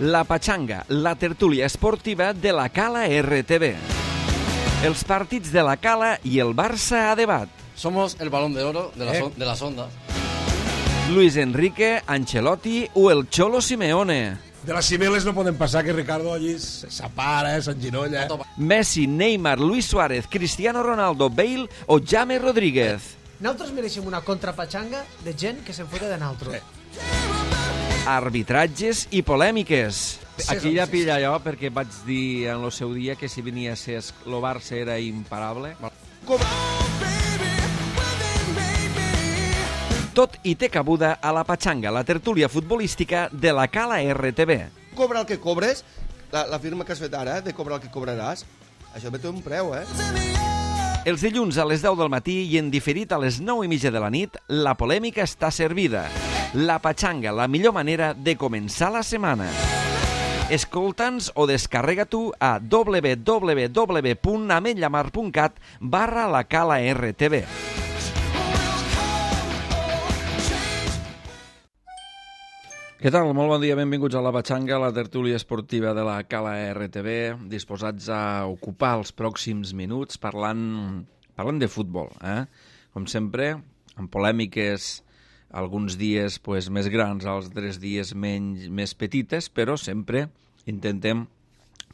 La Pachanga, la tertúlia esportiva de la Cala RTV. Els partits de la Cala i el Barça a debat. Somos el balón de oro de las ondas. Luis Enrique, Ancelotti o el Cholo Simeone. De les cimeles no poden passar que Ricardo allí s'apara, s'enginolla. Messi, Neymar, Luis Suárez, Cristiano Ronaldo, Bale o James Rodríguez. Nosaltres mereixem una contrapatxanga de gent que se'n fota de nosaltres. Arbitratges i polèmiques. Aquí ja pilla jo, perquè vaig dir en el seu dia que si venia a ser el Barça era imparable. Tot i té cabuda a la Pachanga, la tertúlia futbolística de la Cala RTV. Cobra el que cobres, la firma que has fet ara, de cobrar el que cobraràs, això ve tot un preu, Els dilluns a les 10 del matí i en diferit a les 9:30 de la nit, la polèmica està servida. La Pachanga, la millor manera de començar la setmana. Escolta'ns o descarrega tu a www.ametllamar.cat/la Cala RTV. Què tal? Molt bon dia, benvinguts a la Pachanga, la tertúlia esportiva de la Cala RTV, disposats a ocupar els pròxims minuts parlant de futbol. Com sempre, amb polèmiques alguns dies més grans, altres dies més petites, però sempre intentem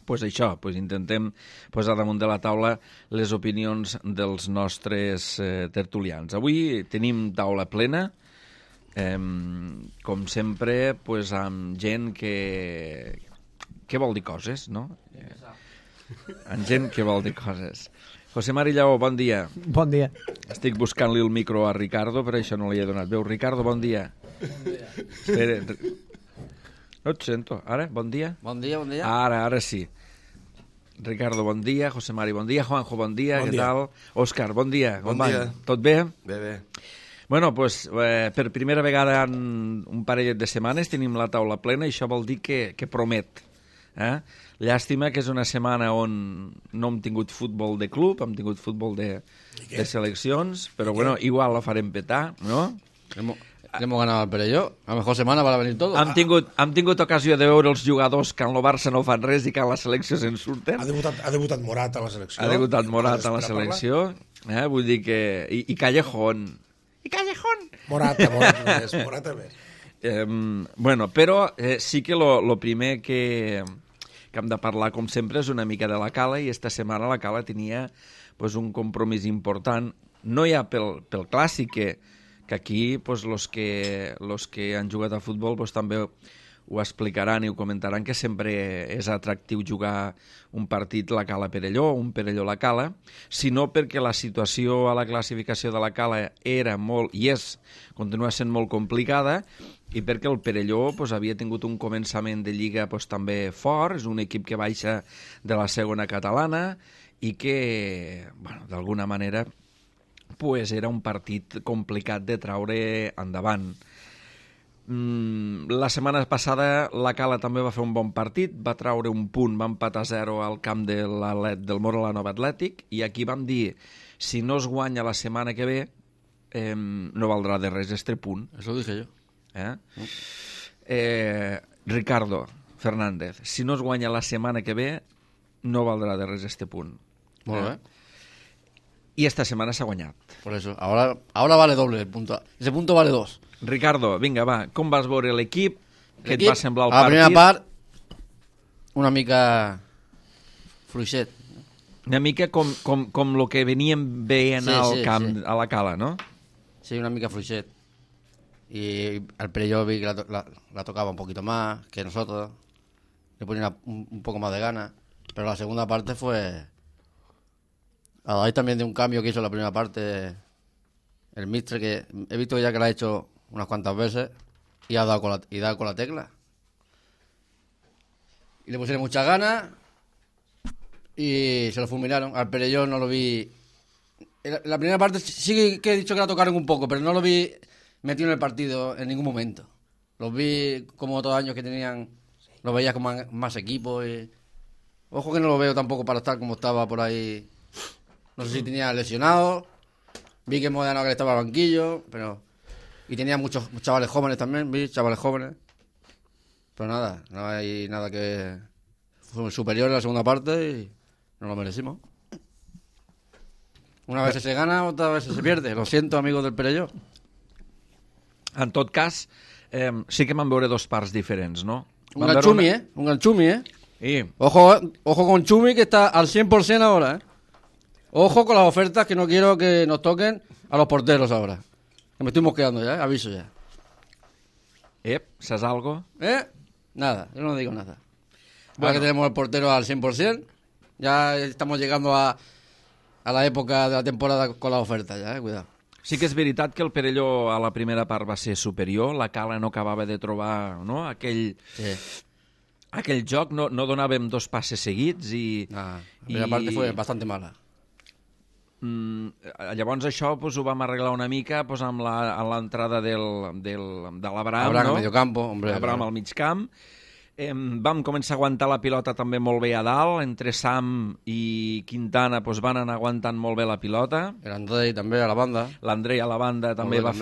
intentem posar damunt de la taula les opinions dels nostres tertulians. Avui tenim taula plena, com sempre, amb gent que vol dir coses, no? Amb gent que vol dir coses. José Mari Lleó, bon dia. Bon dia. Estic buscant-li el micro a Ricardo, per això no li he donat veu. Ricardo, bon dia. Bon dia. Espera. No et sento. Ara, bon dia? Bon dia, bon dia. Ara sí. Ricardo, bon dia. José Mari, bon dia. Juanjo, bon dia. Bon Què dia. tal? Òscar, bon dia. Bon dia. Tot bé? Bé. Bueno, per primera vegada en un parellet de setmanes tenim la taula plena i això vol dir que promet. Llàstima que és una setmana on no hem tingut futbol de club, hem tingut futbol de seleccions, però bueno, igual la farem petar, ¿no? Hemos ganado al Perelló. A la mejor semana para venir todo. Hem tingut ocasió de veure els jugadors que en el Barça no fan res i que en la selecció se'n surten. Ha debutat Morat a la selecció. Ha debutat Morat a la selecció. Vull dir que... I Callejón. Morata més. Bueno, però sí que lo primer que hem de parlar, com sempre, és una mica de la Cala, i esta setmana la Cala tenia un compromís important, no ja pel clàssic, que aquí los que han jugat a futbol també ho explicaran i ho comentaran, que sempre és atractiu jugar un partit la Cala-Perelló, un Perelló-la Cala, sinó perquè la situació a la classificació de la Cala era molt, i continua sent molt complicada, i perquè el Perelló havia tingut un començament de Lliga també fort, és un equip que baixa de la segona catalana i que, d'alguna manera, era un partit complicat de traure endavant. La setmana passada la Cala també va fer un bon partit, va traure un punt, va empatar 0 al camp del Mora la Nova Atlètic, i aquí vam dir, si no es guanya la setmana que ve, no valdrà de res este punt. Eso dije yo. Ricardo Fernández, si no es guanya la setmana que ve, no valdrà de res este punt. Molt bé. I esta setmana s'ha guanyat. Por eso. Ahora vale doble el punto. Ese punto vale 2. Ricardo, vinga, va, com vas veure l'equip? Què et va semblar el partit? A la primera part, una mica fluixet. Una mica com el que veníem veient al camp, a la Cala, ¿no? Sí, una mica fluixet. Y al Perelló vi que la tocaba un poquito más que nosotros. Le ponía un poco más de ganas. Pero la segunda parte fue... A raíz también de un cambio que hizo en la primera parte el míster, que he visto ya que lo ha hecho unas cuantas veces y ha dado con la tecla. Y le pusieron muchas ganas y se lo fulminaron. Al Perelló no lo vi... La primera parte sí que he dicho que la tocaron un poco, pero no lo vi metido en el partido en ningún momento. Los vi como otros años que tenían... Los veías con más equipos y... Ojo que no lo veo tampoco para estar como estaba por ahí... No sé si tenía lesionado. Vi que Modena que estaba al banquillo, pero... Y tenía muchos chavales jóvenes también, vi chavales jóvenes. Pero nada, no hay nada que... Fue superior en la segunda parte y no lo merecimos. Una vez se gana, otra vez se pierde. Lo siento, amigos del Perelló. En tot cas, sí que vam veure dos parts diferents, no? Un gran Chumi, Un gran Chumi, I, Ojo con Chumi, que está al 100% ahora, Ojo con las ofertas, que no quiero que nos toquen a los porteros ahora. Que me estoy mosqueando ya, aviso ya. ¿saps algo? Nada, yo no digo nada. Ahora que tenemos el portero al 100%, ya estamos llegando a la época de la temporada con las ofertas, ya, cuidado. Sí que és veritat que el Perelló a la primera part va ser superior, la Cala no acabava de trobar, no?, aquell joc, no donàvem dos passes seguits i... La primera parte fue bastante mala. Llavors això pues, ho vam arreglar una mica pues, amb l'entrada de l'Abraham, Abraham no? al mediocampo, hombre. Abraham al mig camp. Vam començar a aguantar la pilota també molt bé a dalt, entre Sam i Quintana pues, van anar aguantant molt bé la pilota. L'Andrei també a la banda. L'Andrei a la banda també va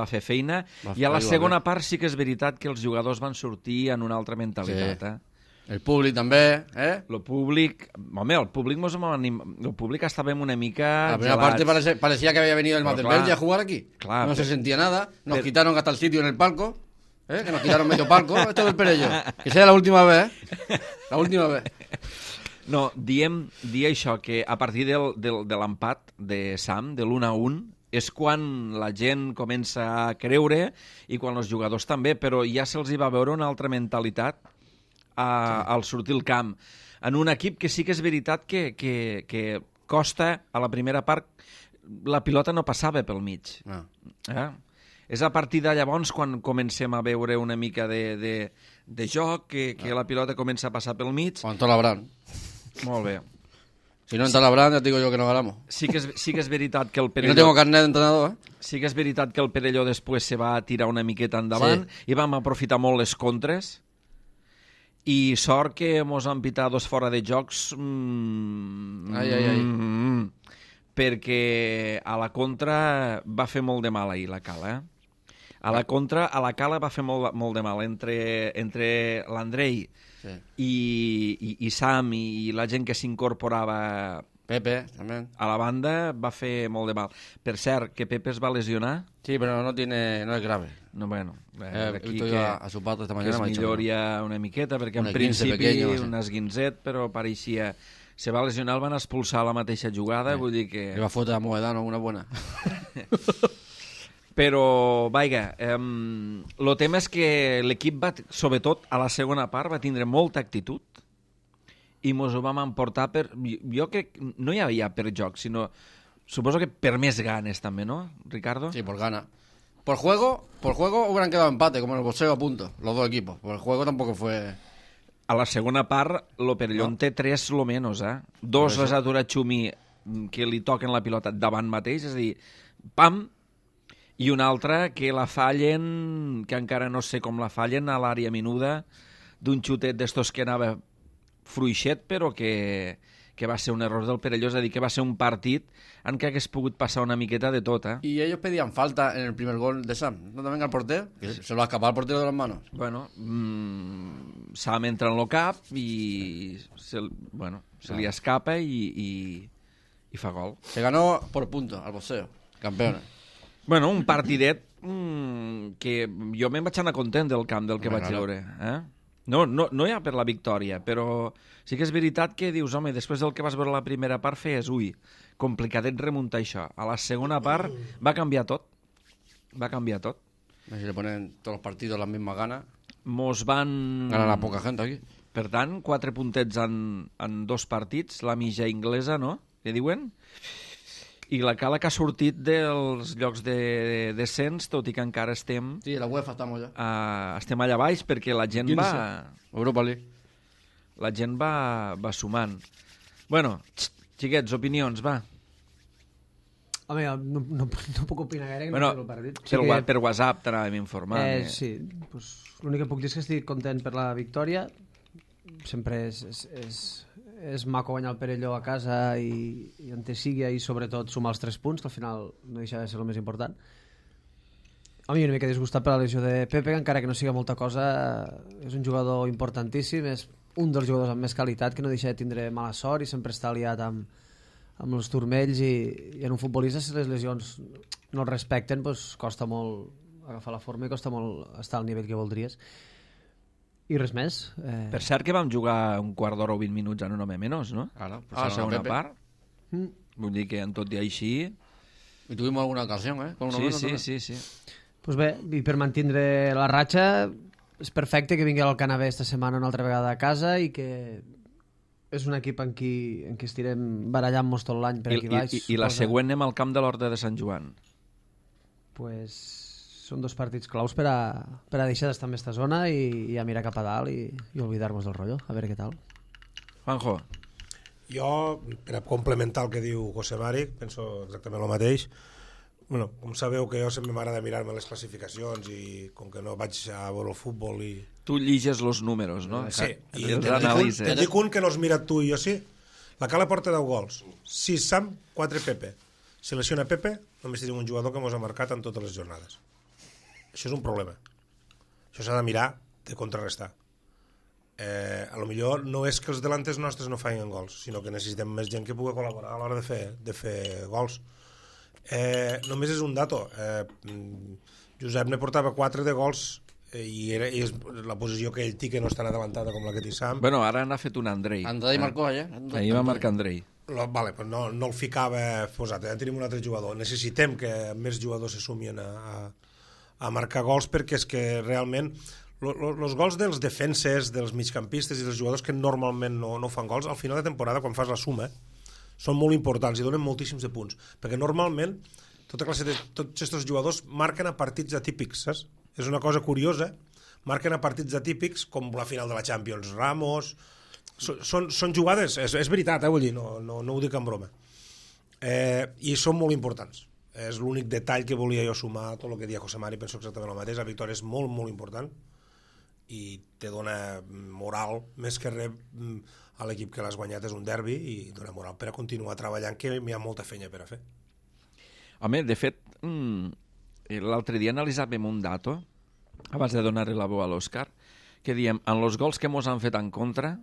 fer feina. I a la segona part sí que és veritat que els jugadors van sortir en una altra mentalitat. El públic també, El públic... Home, el públic estàvem una mica La primera parte parecía que había venido el Valverde a jugar aquí. Claro, no se sentía nada. Nos quitaron hasta el sitio en el palco. Que nos quitaron medio palco. Esto del Perelló. Que sea la última vez, La última vez. No, dir això, que a partir de l'empat de Sam, de l'1-1, és quan la gent comença a creure i quan els jugadors també, però ja se'ls hi va veure una altra mentalitat al sortir al camp. En un equip que sí que és veritat que costa, a la primera part, la pilota no passava pel mig. No. És a partir de llavors quan comencem a veure una mica de joc, que la pilota comença a passar pel mig. Quan entró l'Abraham. Molt bé. Si no entra l'Abraham, ya te digo yo que no ganamos. Sí que és veritat que el Y Perelló... no tengo carnet d'entrenador, Sí que és veritat que el Perelló després se va tirar una miqueta endavant i vam aprofitar molt les contres. I sort que mos han pitat dos fora de jocs perquè a la contra va fer molt de mal ahir la Cala. A la contra, a la Cala va fer molt de mal entre l'Andrei i Sam i la gent que s'incorporava Pepe, també. a la banda, va fer molt de mal. Per cert, que Pepe es va lesionar? Sí, pero no es grave. No, bueno, Aquí que a su padre esta que mañana es me ha dicho milloria una miqueta, perquè en Un esguince principi pequeño, sí. un esguinzet, però pareixia... Se va lesionar, el van expulsar a la mateixa jugada, vull dir que... Le va a fotre a Moedano una buena. Però, vaiga, el tema és que l'equip va, sobretot a la segona part, va tindre molta actitud i mos ho vam emportar per... Jo crec que no hi havia per joc, sinó... Suposo que per més ganes també, ¿no, Ricardo? Sí, por gana. Por juego hubieran quedado empate, como en el boxeo a punto, los dos equipos. Por el juego tampoco fue... A la segona part, lo Perelló té 3 lo menos, Dos les atura Chumi, que li toquen la pilota davant mateix, és a dir, pam, i una altra que la fallen, que encara no sé com la fallen, a l'àrea menuda, d'un xutet d'estos que anava fruixet, però que va ser un error del Perelló, és a dir, que va ser un partit en què hagués pogut passar una miqueta de tot, Y ellos pedían falta en el primer gol de Sam. ¿No también al portero? Que se lo ha escapado al portero de las manos. Bueno, Sam entra en lo cap i se li escapa i fa gol. Se ganó por puntos al boxeo. Campeones. Bueno, un partidet que jo me'n vaig anar content del camp del que vaig veure. No ja per la victòria, però sí que és veritat que dius, home, després del que vas veure la primera part feies, complicadet remuntar això. A la segona part va canviar tot. Va canviar tot. Si le ponen todos los partidos las mismas ganas. Mos van... Ganan a poca gente aquí. Per tant, 4 puntets en 2 partits, la mitja inglesa, no?, que diuen? I la Cala que ha sortit dels llocs de descens, tot i que encara estem... Sí, la UEFA estamos ya. Estem allà baix perquè la gent 15. va... Europa League. La gent va sumant. Bueno, xiquets, opinions, va. Home, no puc opinar gaire, que Bueno, no sé el partit. per WhatsApp t'anàvem informant. Sí, pues, l'únic que puc dir és que estic content per la victòria. Sempre és maco guanyar el Perelló a casa i on te sigui, i sobretot sumar els 3 punts, que al final no deixa de ser el més important. A mi una mica disgustat per la lesió de Pepe, encara que no siga molta cosa, és un jugador importantíssim, és un dels jugadors amb més qualitat, que no deixa de tindre mala sort i sempre està aliat amb els turmells, i en un futbolista, si les lesions no el respecten, doncs costa molt agafar la forma i costa molt estar al nivell que voldries. I res més. Per cert que vam jugar un quart d'hora o 20 minuts en un home menys, no? Claro, pues A la era segona Pepe. part. Vull dir que en tot i així... Y tuvimos alguna ocasión, Con uno menos también. Sí. Pues bé, i per mantindre la ratxa, és perfecte que vingui al Canavés esta setmana una altra vegada a casa i que és un equip en qui estirem barallant-nos tot l'any per aquí baix. I la següent anem al camp de l'Horta de Sant Joan. Pues són dos partits claus per a deixar d'estar en aquesta zona i a mirar cap a dalt i oblidar-nos del rotllo, a veure què tal. Juanjo. Jo, per a complementar el que diu José Mari, penso exactament el mateix. Bueno, com sabeu que jo sempre m'agrada mirar-me les classificacions i com que no vaig a veure el futbol i... Tu lliges els números, no? Sí, i els te'n analitzes. dic un que no has mirat tu i jo sí. La Cala porta 10 gols, 6 Sam, 4 Pepe. Si lesiona Pepe, només tenim un jugador que ens ha marcat en totes les jornades. Això és un problema. Això s'ha de mirar, de contrarrestar. A lo millor no és que els delantes nostres no facin gols, sinó que necessitem més gent que pugui col·laborar a l'hora de fer gols. Només és un dato. Josep ne portava 4 de gols i és la posició que ell té, que no és tan adelantada com la que té Sam. Bueno, ara n'ha fet un Andrei. Andrei marcó ayer. Ahir va marcar Andrei. Vale, pues no el ficava posat, ja tenim un altre jugador. Necessitem que més jugadors se sumin a marcar gols, perquè és que realment els gols dels defenses, dels migcampistes i dels jugadors que normalment no fan gols, al final de temporada, quan fas la suma, són molt importants i donen moltíssims de punts, perquè normalment tots aquests jugadors marquen a partits atípics, saps? És una cosa curiosa, marquen a partits atípics com la final de la Champions, Ramos... Són jugades, és veritat, vull dir, no ho dic en broma, i són molt importants. És l'únic detall que volia jo sumar a tot el que deia José Mari, penso exactament el mateix. La victòria és molt, molt important i te dona moral, més que res a l'equip que l'has guanyat, és un derbi, i dona moral per a continuar treballant, que hi ha molta feina per a fer. Home, de fet, l'altre dia analitzàvem un dato, abans de donar-li la veu a l'Òscar, que diem, en els gols que mos han fet en contra...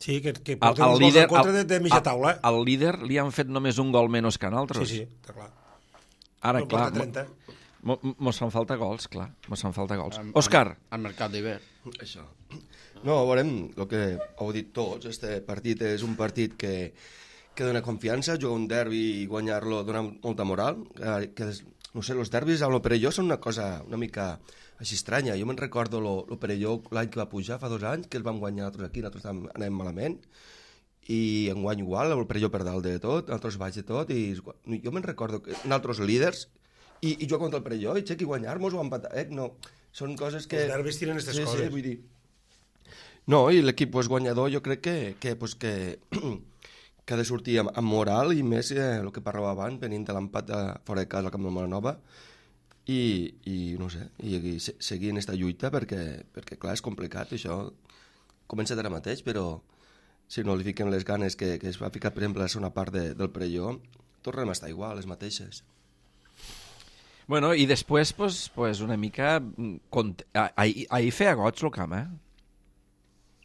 Sí, que porten els gols en contra de mitja taula. Al líder li han fet només un gol menys que en altres. Sí, està clar. Ara, clar, 30. mos fan falta gols, clar. Mos fan falta gols. Òscar. Al mercat d'hivern. Això. No, veurem el que heu dit tots. Este partit és un partit que dona confiança, jugar un derbi i guanyar-lo dona molta moral. No sé, els derbis a lo Perelló són una cosa una mica així estranya. Jo me'n recordo lo Perelló l'any que va pujar, fa 2 anys, que el vam guanyar nosaltres aquí, nosaltres anem malament, i enguany igual, el Perelló per dalt de tot, nosaltres baix de tot, i jo me'n recordo que nosaltres líders, i jugar contra el Perelló, i i guanyar-nos o empatar, no, són coses que... Els derbis tiren aquestes coses. Sí, vull dir... No, i l'equip guanyador jo crec que ha de sortir amb moral, i més el que parlàvem abans, venint de l'empat fora de casa al Camp de Molanova, i no sé, i seguir en aquesta lluita, perquè clar, és complicat, això comença d'ara mateix, però si no li fiquem les ganes que es va ficar, per exemple, a la segona part del Perelló, tornem a estar igual, les mateixes. Bueno, i després, pues una mica... Ahir feia goig el camp,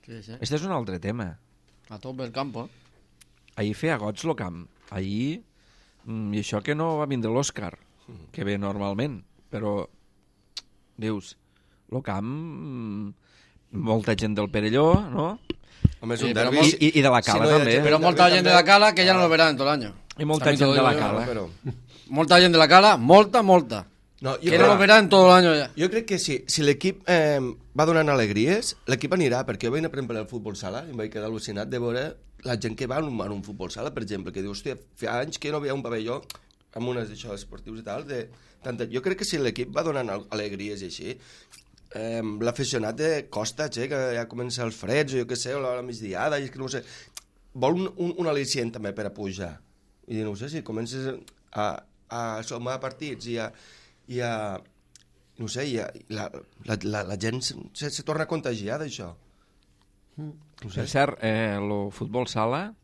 Sí. Este és un altre tema. A top del campo. Ahir feia goig el camp. Ahir, i això que no va vindre l'Òscar, que ve normalment, però, dius, el camp, molta gent del Perelló, no? Home, és Sí, un però derbi... I de la Cala, també. Pero molta gent de la Cala que ya no lo verán en todo el año. I molta gent de la Cala. Però... Molta gent de la Cala, molta. No, Que no lo verá en todo el año ya. Jo crec que si l'equip va donant alegries, l'equip anirà, perquè jo vaig anar, per exemple, al futbol sala i em vaig quedar al·lucinat de veure la gent que va en un futbol sala, per exemple, que diu, hòstia, fa anys que no veia un pavelló amb unes d'això esportius i tal, jo crec que si l'equip va donant alegries i així, l'aficionat costa, que ja comença els freds, o jo què sé, o la migdiada, i és que no sé, vol un al·licient també per a pujar. I no sé, si comences a sumar partits i no sé, la gent se torna a contagiar d'això. Per cert, el futbol sala,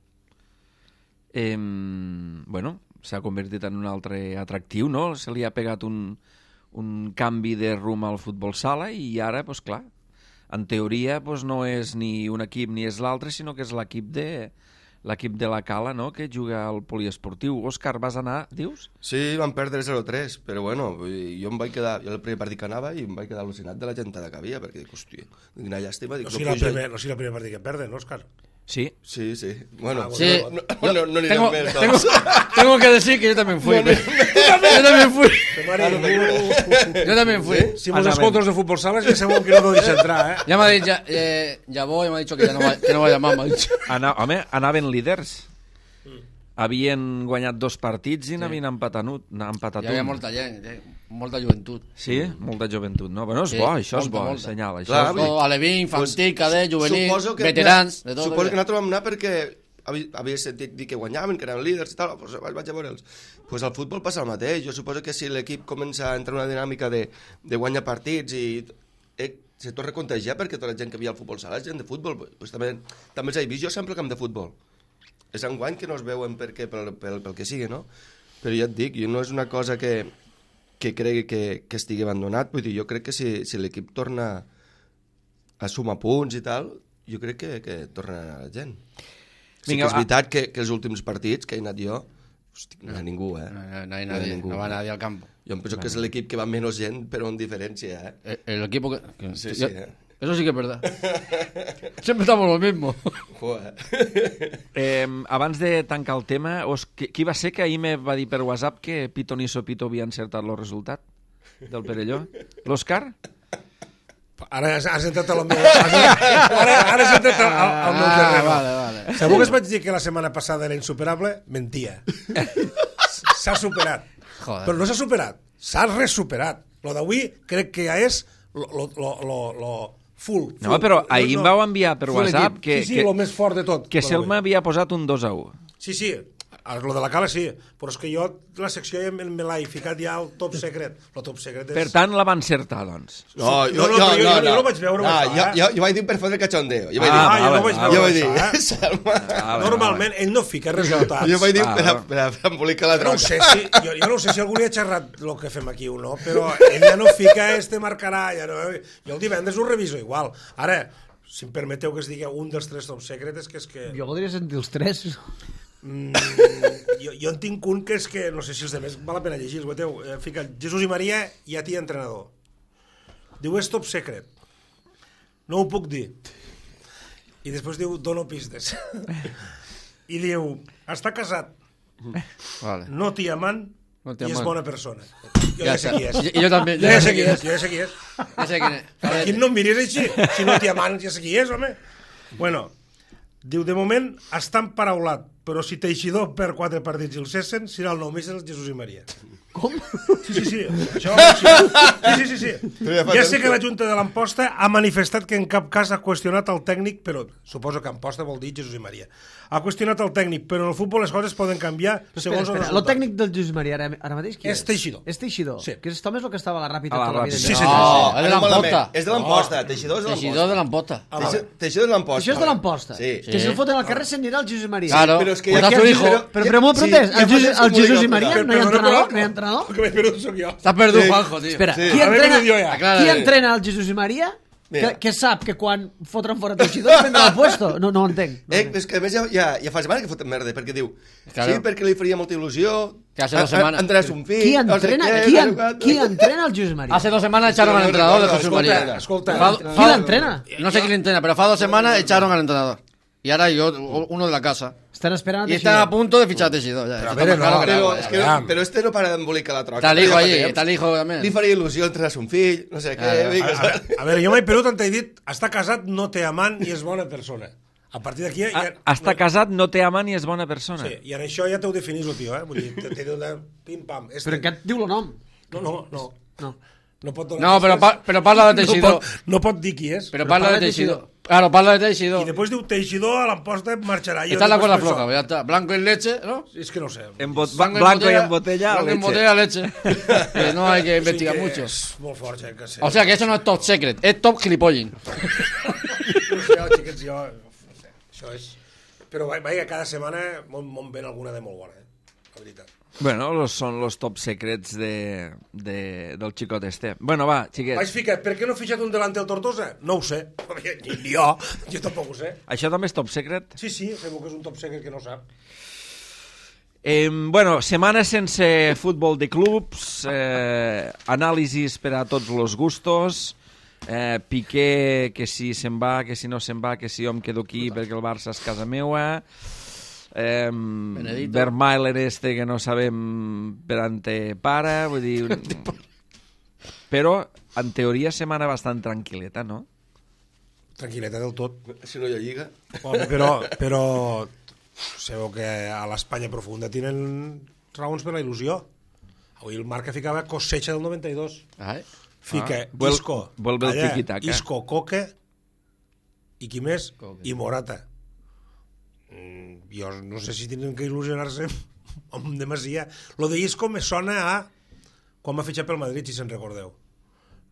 bueno, s'ha convertit en un altre atractiu, no? Se li ha pegat un canvi de rumb al futbol sala i ara, doncs clar, en teoria no és ni un equip ni és l'altre, sinó que és l'equip de la Cala, no?, que juga al poliesportiu. Òscar, vas anar, dius? Sí, van perdre 0-3, però bueno, jo em vaig quedar, jo el primer partit que anava i em vaig quedar al·lucinat de la gentada que havia, perquè dic, hòstia, quina llàstima. No sigui el primer partit que perden, no, Òscar? Sí. Sí, sí. Bueno, Sí. no anirem més. Doncs. Tengo que decir que yo también fui. Yo también fui. Yo también fui. Si mos escoltes de futbol sala, ja sabeu que no podeu deixar entrar, eh? Ya me ha dicho, ya voy, me ha dicho que ya no va a llamar, me ha dicho. Home, anaven líders. Havien guanyat 2 partits i n'havien empatat Hi havia molta gent, molta joventut. Sí, molta joventut, no? Bueno, és bo, això és bo, molta. senyal. Això Clar, és bo. Alevín, infantil, cadet, juvenil, Suposo que veterans, de tot. Suposo que nosaltres vam anar perquè havia sentit dir que guanyaven, que eren líders i tal, doncs vaig a veure'ls. Pues al futbol passa el mateix. Jo suposo que si l'equip comença a entrar en una dinàmica de guanyar partits i se torna a contagiar perquè tota la gent que havia al futbol sala és gent de futbol. Pues també els he vist jo sempre al camp de futbol. És enguany que no es veuen pel que sigui, no? Però ja et dic, no és una cosa que cregui que estigui abandonat. Vull dir, jo crec que si l'equip torna a sumar punts i tal, jo crec que torna a anar la gent. Sí que és veritat que els últims partits que he anat jo, hosti, no hi ha ningú, eh? No va nadie al campo. Jo em penso que és l'equip que va menys gent, però amb diferència, eh? El equipo que... Sí, Eso sí que es verdad. Siempre estamos lo mismo. Abans de tancar el tema, qui va ser que ahir me va dir per WhatsApp que Pito ni Sopito havia encertat el resultat del Perelló? L'Òscar? Ara has entrat al meu... Ara has entrat al meu terreny. Vale. Segur que es vaig dir que la setmana passada era insuperable? Mentia. S'ha superat. Joder. Però no s'ha superat, s'ha resuperat. Lo d'avui crec que ja és lo full. No, però ahir em vau enviar per WhatsApp que lo més fort de tot. que Selma havia posat un 2-1. Sí, lo de la Cala sí, però és que jo la secció ja me l'he ficat ja al top secret. El top secret és... Per tant, la va encertar, doncs. No, jo no vaig veure. Jo vaig dir per fotre cachondeo. Jo vaig dir, normalment ell no fica resultats. Jo vaig dir per embolicar la droga. Jo no sé si algú li ha xerrat el que fem aquí o no, però ell ja no fica marcarà. Jo el divendres ho reviso igual. Ara, si em permeteu que es digui un dels 3 top secrets, que és que... Jo voldria sentir els 3. Jo en tinc un que és que, no sé si els demés val la pena llegir, fica Jesús i Maria i a ti entrenador. Diu, és top secret. No ho puc dir. I després diu, dono pistes. I diu, està casat, no t'hi amant i és bona persona. Jo ja sé qui és. I jo també. Jo ja sé qui és. Ja sé qui és. Aquí no em miris així. Si no t'hi amant, ja sé qui és, home. Bueno, diu, de moment està emparaulat, però si Teixidor perd 4 partits i el cessen, serà el nou míster Jesús i Maria. Com? Sí. Això, sí. Ja sé que la Junta de l'Amposta ha manifestat que en cap cas ha qüestionat el tècnic, però suposo que Amposta vol dir Jesús i Maria. Ha qüestionat el tècnic, però en el futbol les coses poden canviar segons el resultat. El tècnic del Jesús Maria ara mateix qui és? És Teixidor. És Teixidor? Sí. Que és el que estava a la Ràpida A la tota la vida. Ràpida. Sí, senyor. És de l'Amposta. És de l'Amposta. Teixidor és de Teixidor de l'Amposta. Teixidor és l'Amposta. Això és de l'Amposta. Sí. Que si el foten al carrer se'n anirà el Jesús Maria. Claro. Però és que Pues a su hijo. Però molt protest. El Jesús i Maria no hi ha entrenador? No hi ha entrenador? El que m'he perdut soc jo. T'has perdut, Juanjo, tío. Espera, Sí. qui entrena el Jesús i Maria que sap que quan fotran fora Teixidor prendrà el puesto? No ho entenc. És que a més ja fa setmanes que foten merda, perquè diu, Claro. sí, perquè li faria molta il·lusió, Que hace 2 semanas. Andrés un fill, Qui no sé entrena, què, qui entrena el Jesús Maria? Hace 2 semanas echaron al entrenador de Jesús María. Escolta. Qui l'entrena? No sé quién entrena, pero hace 2 semanas echaron al entrenador. Y ahora yo, uno de la casa. Estan esperant Y están a punto de fichar a Teixidor. Ya. Pero a Eso ver, está más claro no, que el agua, Però, ya. és que però este no para d'embolicar la troca. Está el hijo Ja fa allí, temps. está el hijo también. Li faria il·lusió entrar un fill, no sé què. A veure, jo m'he perdut on t'he dit, està casat, no té amant i és bona persona. A partir d'aquí... Està casat, no té amant i és bona persona. Sí, i en això ja t'ho definís el tio, Vull dir, t'he dit una pim-pam. Però què et diu el nom? No. No pot donar... No, pero parla de Teixidor. No pot dir qui és. Pero parla de Teixidor. Claro, parla de Teixidor. I després diu Teixidor a l'Amposta marxarà. Está en la cuerda floja, ya está. Blanco en leche, ¿no? És que no sé. Blanco y en botella, Blanco en leche. botella, leche. Que no hay que investigar mucho. És molt fort, que sé. O sea que eso no es top secret, es top gilipollin. No sé, xiquets, jo... No sé, això és... Però vaja, cada setmana me'n ven alguna de molt bona, la veritat. Bueno, són los top secrets del xicot este. Bueno, va, xiquets. Vaig ficar, per què no he fitxat un delanter al Tortosa? No ho sé. Ni jo tampoc ho sé. Això també és top secret? Sí, segur que és un top secret que no sap. Bueno, setmana sense futbol de clubs, anàlisis per a tots los gustos, Piqué, que si se'n va, que si no se'n va, que si jo em quedo aquí perquè el Barça és casa meua, Vermaelen este que no sabem per on te para, vull dir... Però, en teoria, setmana bastant tranquil·leta, no? Tranquil·leta del tot. Si no hi ha lliga. Home, però sabeu que a l'Espanya profunda tenen raons per la il·lusió. Avui el Marca ficava cosecha del 92. Fica Isco, vuelve el tiki-taka. Isco, Coque i qui més? I Morata. Jo no sé si tenen que il·lusionar-se amb demasia. Lo de Isco me sona a quan m'ha fitxat pel Madrid, si se'n recordeu.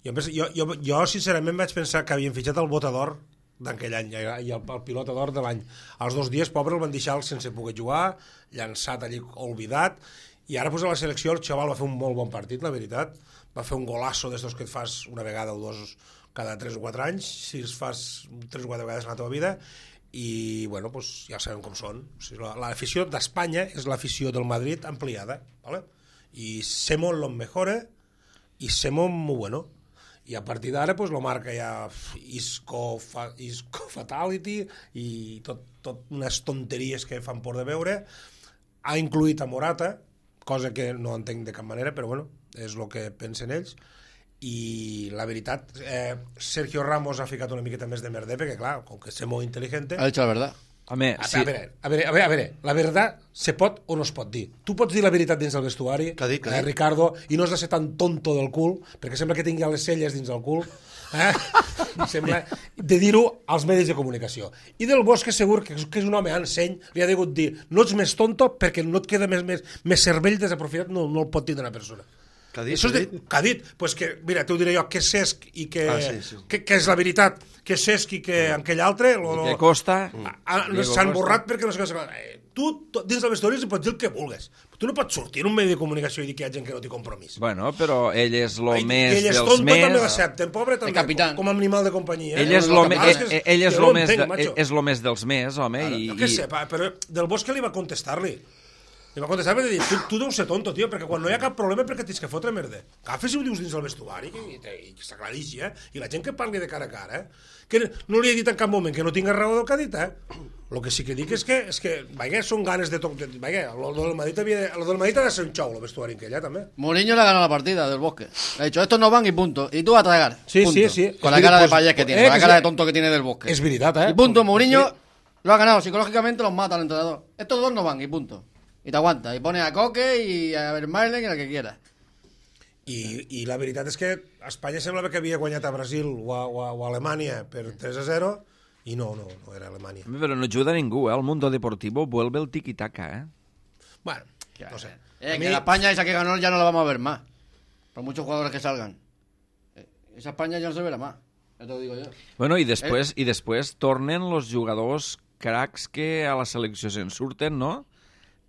Jo sincerament vaig pensar que havien fitxat el Botador d'aquell any i el pilota d'or de l'any. Els 2 dies, pobre, el van deixar sense poder jugar, llançat allí, olvidat, i ara pues, a la selecció el xaval va fer un molt bon partit, la veritat. Va fer un golasso d'estos que et fas una vegada o dos cada 3 o 4 anys, si els fas 3 o 4 vegades en la teva vida, i bueno, pues, ja sabem com són. O sigui, l'afició d'Espanya és l'afició del Madrid ampliada, ¿vale? I somos los mejores i somos muy bueno. I a partir d'ara pues, lo marca ja Isco Fatality i tot unes tonteries que fan por de veure. Ha incluït a Morata, cosa que no entenc de cap manera, però bueno, és el que pensen ells. I la veritat, Sergio Ramos ha ficat una miqueta més de merder, perquè clar, com que és molt intel·ligent... Ha dicho la verdad. Home, sí. A veure, la veritat se pot o no es pot dir. Tu pots dir la veritat dins del vestuari, Ricardo, i no has de ser tan tonto del cul, perquè sembla que tingui les celles dins del cul, sembla de dir-ho als medis de comunicació. I del Bosque segur que és un home enseny, li ha degut dir, no ets més tonto perquè no et queda més cervell desaprofitat, no el pot dir d'una persona. Què ha dit? Què ha dit? Pues que, mira, t'ho diré jo, que Cesc i que... Que és la veritat, que Cesc i que aquell altre... que Costa... S'han borrat perquè no sé què... Tu, dins del vestuari, pots dir el que vulguis. Tu no pots sortir en un medi de comunicació i dir que hi ha gent que no té compromís. Bueno, però ell és lo més dels més... Ell és tonto, també l'accepten, pobre, també, com a animal de companyia. Ell és lo més dels més, home. Jo què sé, però del Bosque li va contestar-li. Li va contestar per dir, tu deus ser tonto, tio, perquè quan no hi ha cap problema perquè tens que fotre merda. Agafes i ho dius dins del vestuari, i s'aclarixi, i la gent que parli de cara a cara, que no li he dit en cap moment que no tinga raó del que ha dit, El que sí que dic és que vaja, són ganes de tot, vaja, el del Madrid ha de ser un xou, el vestuari en aquella, també. Mourinho le ha ganado la partida del Bosque. Le ha dicho, estos no van y punto. Y tú a tragar. Sí, punto. Sí. Con la cara de payés que tiene, con la cara de tonto que tiene del Bosque. Es verdad, Y punto, Mourinho lo ha ganado. Psicológicamente los mata al entrenador. Estos dos no van y punto. Y te aguanta, y pone a Coque y a Vermaelen y al que quiera. I la veritat és que Espanya semblava que havia guanyat a Brasil o a Alemanya per 3-0 i no era Alemanya. Però no ajuda ningú, El Mundo Deportivo vuelve el tiki-taka, Bueno, no sé. Que la España esa que ganó ya no la vamos a ver más. Por muchos jugadores que salgan. Esa España ya no se verá más. Ya te lo digo yo. Bueno, i després tornen los jugadors cracs que a la selecció se'n surten, no?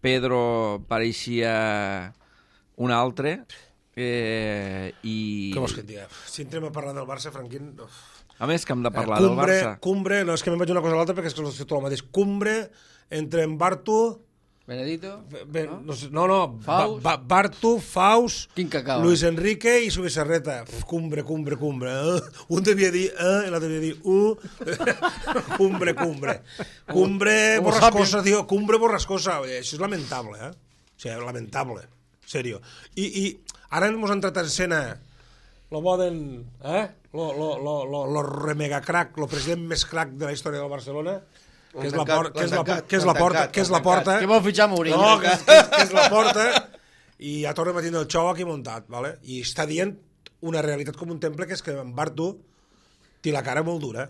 Pedro pareixia un altre i... Què vols que et digui? Si entrem a parlar del Barça, Franquín... A més que hem de parlar del Barça. Cumbre, no és que me'n vaig una cosa a l'altra perquè és que és tot el mateix. Cumbre entre en Bartu... Benedito? No. Faust? Bartu, Faust, Luis Enrique i Subisarreta. Cumbre. Un devia dir i l'altre devia dir Cumbre. Cumbre borrascosa, tio. Cumbre borrascosa. Això és lamentable, O sigui, lamentable. Serio. I ara ens han tratat en escena lo Boden, lo remega crack, lo president més crack de la història del Barcelona, que és la porta. Que vol fitxar Mourinho. No, que és la porta, i ja tornem a tindre el xou aquí muntat, ¿vale? I està dient una realitat com un temple, que és que en Bartu té la cara molt dura,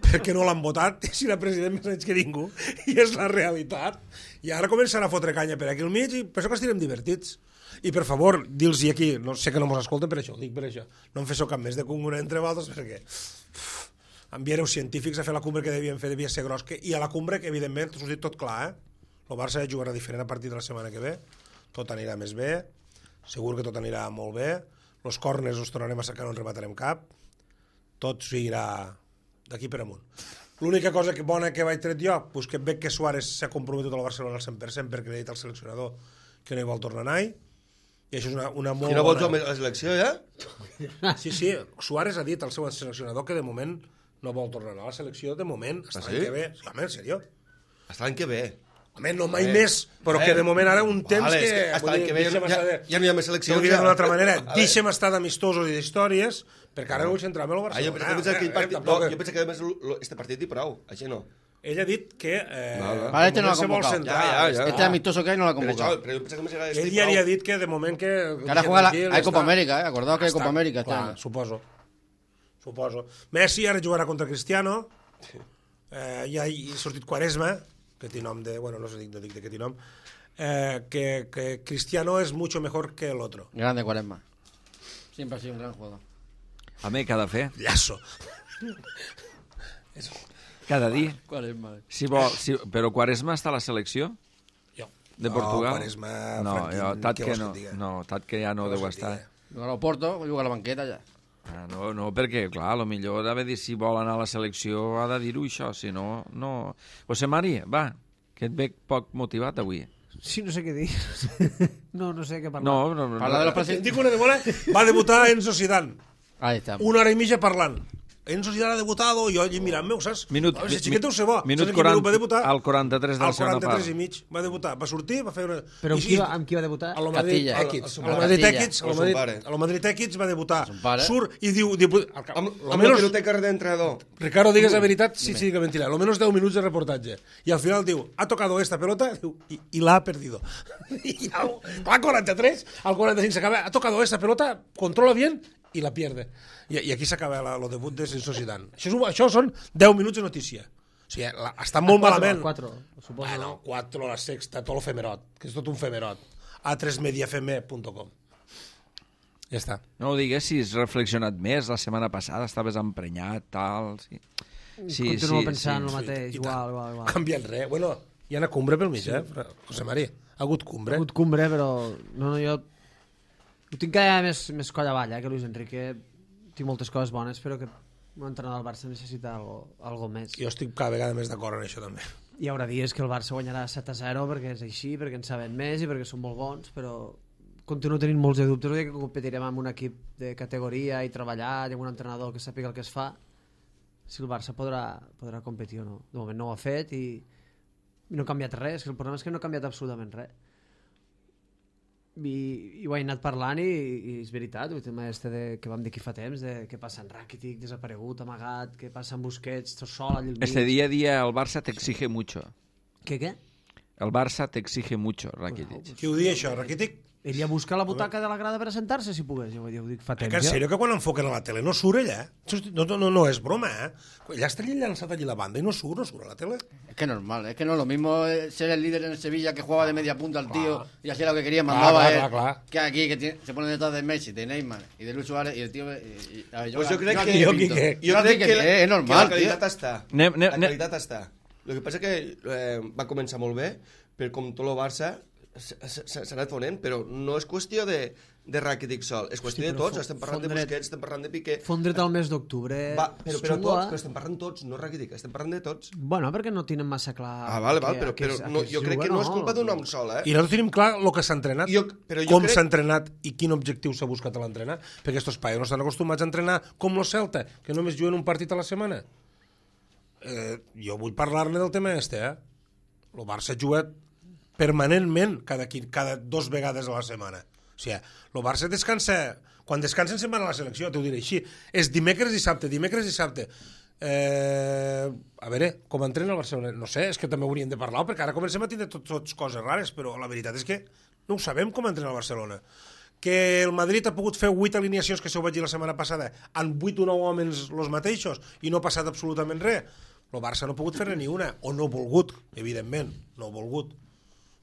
perquè no l'han votat, si era president més anys que ningú, i és la realitat. I ara començarà a fotre canya per aquí al mig, i per això que estirem divertits. I per favor, dir-los aquí, no sé que no mos escolten per això, dic per això, no em fes cap més de congre entre vosaltres, perquè enviareu científics a fer la cumbre que devien fer, devia ser gros, i a la cumbre, que evidentment, us ho dic tot clar, el Barça jugarà diferent a partir de la setmana que ve, tot anirà més bé, segur que tot anirà molt bé, els corners els tornarem a sacar, no ens rematarem cap, tot seguirà d'aquí per amunt. L'única cosa bona que vaig tret jo, pues que veig que Suárez s'ha comprometut al Barcelona al 100% perquè li ha dit al seleccionador que no hi vol tornar a anar, i això és una molt I no vols bona... la selecció, ja? Sí, Suárez ha dit al seu seleccionador que de moment no vol tornar a anar a la selecció, de moment, hasta l'any que ve. Sí, home, en sèrio? Hasta l'any que ve. Home, no mai més, però que de moment ara un temps vale, que... Hasta l'any que ve ja no hi ha més selecció. No ho diré d'una altra manera, deixem estar d'amistosos i d'històries, perquè ara no vull centrar-me en el Jo Barcelona. penso que més este partit i prou, així no. Ell ha dit que... Vale, este no l'ha convocat. Este amistoso que hay no l'ha convocat. Però jo penso que més era Ell ja li ha dit que de moment que... Que ara juega hay Copa América, acordaos que hay Copa América este año. Suposo. Messi ara jugarà contra Cristiano, ja ha sortit Quaresma, que té nom de... Bueno, no dic de què té nom, que Cristiano es mucho mejor que el otro. Grande Quaresma. Siempre ha sido un gran jugador. Home, què ha de fer? Llazo. Cada dia. Quaresma. Però Quaresma està a la selecció Jo. de Portugal? Quaresma, no, Franquín, Tat què que vols no. que et diga? No, Tat que ja no Què deu vols que et estar. diga? Juga a l'Oporto, juga a la banqueta ja. No, perquè, clar, potser ha de dir si vol anar a la selecció ha de dir-ho això, si no, no... José Mari, va, que et veig poc motivat avui. Sí, no sé què dir. No sé què parlar. No. Parla de los Et presidentes. dic una de bona, va debutar Enzo Zidane. Ahí está. Una hora i mitja parlant. Enzo Zidane ha debutado, i jo allí mirant-me, saps? Minut, Si xiquet deu ser bo. minut Saps en quin 40, va debutar? al 43 de la Al segona 43 part. i mig va debutar. Va sortir, va fer una... Però I- amb qui va debutar? A lo Madrid Castilla. Equids. A A lo lo Madrid Castilla. Equids. A lo Madrid Equids va debutar. Son pare. Surt i diu... Amb la biblioteca d'entrenador. Ricardo, digues la veritat, sí que mentira. Lo menos 10 minuts de reportatge. I al final diu, ha tocado esta pelota diu, y la ha perdido. I al 43, al 45 s'acaba, ha tocado esta pelota, controla bien y la pierde. I aquí s'acaba el debut de Enzo Zidane. Això són 10 minuts de notícia. O sigui, està molt malament. 4, suposo. Bueno, 4, la sexta, tot el femerot, que és tot un femerot. a3mediafm.com. Ja està. No ho digues si has reflexionat més. La setmana passada estaves emprenyat, tal... Sí. Continuo pensant el mateix, I igual. No ha canviat res. Bueno, hi ha una cumbre pel mig, José Mari. Ha hagut cumbre. Ha hagut cumbre, però... No, jo... Ho tinc cada vegada més coll avall, que Luis Enrique. Tinc moltes coses bones, però que un entrenador del Barça necessita algo més. Jo estic cada vegada més d'acord en això, també. Hi haurà dies que el Barça guanyarà 7-0 perquè és així, perquè en sabem més i perquè són molt bons, però continuo tenint molts de dubtes. Que competirem amb un equip de categoria i treballar i amb un entrenador que sàpiga el que es fa, si el Barça podrà competir o no. De moment no ho ha fet i no ha canviat res. El problema és que no ha canviat absolutament res. I ho he anat parlant i és veritat, el tema que vam dir aquí fa temps, de què passa en Rakitic, desaparegut, amagat, què passa en Busquets, tot sol allà al mig. Este día a día el Barça te exige mucho. Què? El Barça te exige mucho, Rakitic. Qui ho diu això, Rakitic? Iria a buscar la butaca de la grada per assentar-se, si pogués. Jo ho dic fa temps. Que en sèrio que quan enfoquen a la tele no surt ella? No és broma, Ella està llançat allí la banda i no surt a la tele. Es que normal, es que no es lo mismo ser el líder en el Sevilla que jugaba de media punta al tío y hacía lo que quería, mandaba él. Que aquí se pone detrás de Messi, de Neymar y de Luis Suárez y el tío... Pues jo crec que... Jo crec que és normal, la qualitat està. La qualitat està. El que passa que va començar molt bé, però com tot el Barça s'ha anat fonent, però no és qüestió de Rakitic sol, és qüestió de tots. Estem parlant de Busquets, estem parlant de Piqué. Fondre't al mes d'octubre. Però tots, però estem parlant tots, no Rakitic, estem parlant de tots. Bueno, perquè no tenen massa clar... Vale, però jo crec que no és culpa d'un home sol, I nosaltres tenim clar el que s'ha entrenat, com s'ha entrenat i quin objectiu s'ha buscat a l'entrenar, perquè estos paios no estan acostumats a entrenar com el Celta, que només juguen un partit a la setmana. Jo vull parlar-ne del tema El Barça juga permanentment cada 2 vegades a la setmana. O sigui, el Barça descansa... Quan descansen se'n van a la selecció, t'ho diré així. És dimecres i dissabte. A veure, com entrena el Barcelona? No sé, és que també hauríem de parlar, perquè ara comencem a tindre tots coses rares, però la veritat és que no ho sabem com entrena el Barcelona. Que el Madrid ha pogut fer 8 alineacions, que s'ho vaig dir la setmana passada, amb 8 o 9 homes els mateixos, i no ha passat absolutament res. El Barça no ha pogut fer-ne ni una, o no ha volgut, evidentment, no ha volgut.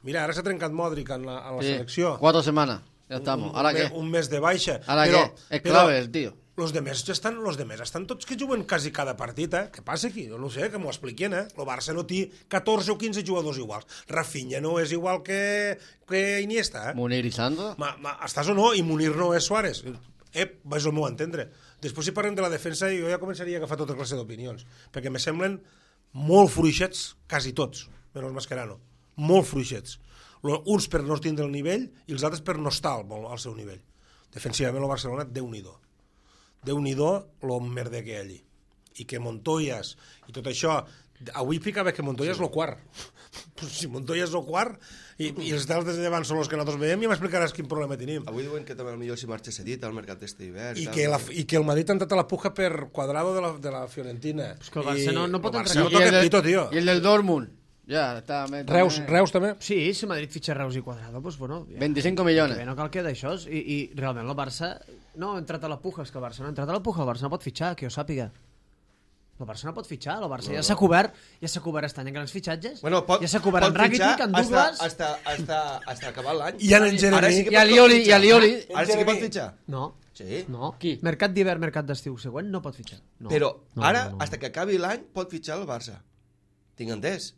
Mira, ara s'ha trencat Modric en la selecció. 4 semanas, ya estamos. ¿Ahora qué? Un mes de baixa. ¿Ahora qué? Es clave el tío. Los demés estan tots que juguen quasi cada partit, Què passa aquí? No sé, que m'ho expliquen, El Barça no té 14 o 15 jugadors iguals. Rafinha no és igual que Iniesta, Munir i Sandro. Estàs o no? I Munir no és Suárez. És el meu entendre. Després, si parlem de la defensa, jo ja començaria a agafar tota classe d'opinions, perquè me semblen molt fluixets, quasi tots, menys Mascherano. Molt fluixets. Uns per no tindre el nivell i els altres per no estar al seu nivell. Defensivament el Barcelona, Déu-n'hi-do el merder que hi ha allí. I que Montoyas i tot això, avui ficava que Montoya és el quart. Si Montoya és el quart i els dels de davant són els que nosaltres veiem, ja m'explicaràs quin problema tenim. Avui diuen que també potser si marxa cedit al mercat d'este hivern. I que el Madrid ha entrat a la puja per Cuadrado de la Fiorentina. És que el Barça no pot entrar aquí. No toca pito, tio. I el del Dortmund. Ja, està... Reus també? Sí, si Madrid fitxa Reus i Cuadrado, doncs bueno... 25 milions. No cal que d'això, i realment el Barça no ha entrat a la puja, és que el Barça no ha entrat a la puja, el Barça no pot fitxar, que jo sàpiga. El Barça no pot fitxar, el Barça ja s'ha cobert aquest any en grans fitxatges, ja s'ha cobert en Rakitic, en Douglas... Hasta acabar l'any. I en Jeremy. I a Lioli. Ara sí que pot fitxar? No. Sí? No. Qui? Mercat d'hivern, mercat d'estiu següent, no pot fitxar. No. Però ara, no. hasta que acabi l'any, pot fitxar el Barça. Tinc entès.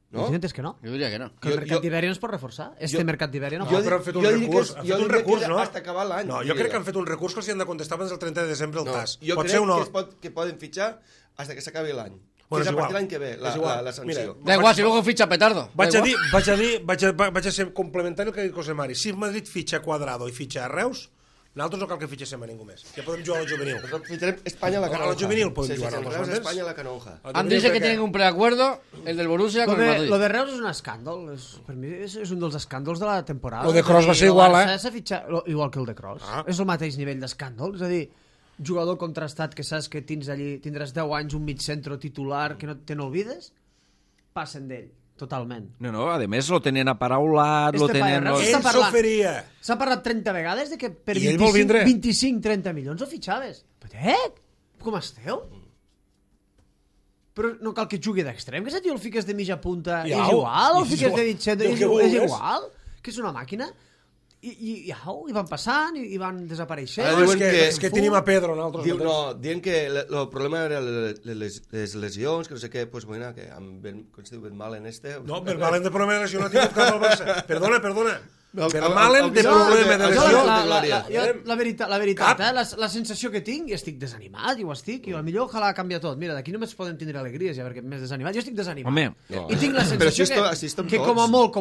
No? Jo tinc entès que no. Jo diria que no. Que el mercat d'hivern no es pot reforçar. Mercat d'hivern no No, però han fet un recurs. Han fet un recurs, no? Hasta acabar l'any. No, jo crec que han fet un recurs que els hi han de contestar abans del 30 de desembre el TAS. Jo crec que poden fitxar hasta que s'acabi l'any. Bueno, és a és partir igual. l'any que ve, la sanció. Da igual, si luego ficha Petardo. Vaig a ser complementari el que ha dit José Mari. Si Madrid fitxa Cuadrado i fitxa Reus, nosaltres no cal que fitxéssim a ningú més. Ja podem jugar al juvenil. Fitxarem Espanya a la Canonja. A la juvenil podem jugar nosaltres. nosaltres. Espanya a la Canonja. Han dicho que tienen un preacuerdo, el del Borussia con el Madrid. Lo de Reus és un escàndol. Per mi és un dels escàndols de la temporada. Lo de Kroos va ser igual, igual que el de Kroos. És el mateix nivell d'escàndol. És a dir, jugador contrastat que saps que tindràs 10 anys un mig centre titular que no te n'olvides, passen d'ell. Totalment. No, a més lo tenen aparaulat, lo tenen... Ell s'oferia. S'ha parlat 30 vegades de que per I ell vol vindre. 25-30 milions ho fitxaves. Com esteu? Però no cal que jugui d'extrem, que si tio el fiques de mitja punta és igual, o el fiques de mig centre és igual, que és una màquina. I van passant i van desapareixent. És que tenim a Pedro diuen que el problema era les lesions, que no sé què, pues bueno, que amb Ben Malen no, Ben Malen de problema de lesió no ha tingut cap al Barça. Perdona. Ben Malen de problema de lesió. La veritat, la sensació que tinc, i estic desanimat, i potser ojalà canvia tot. Mira, d'aquí només podem tindre alegries, ja, perquè més desanimat. Jo estic desanimat. I tinc la sensació que com a molt,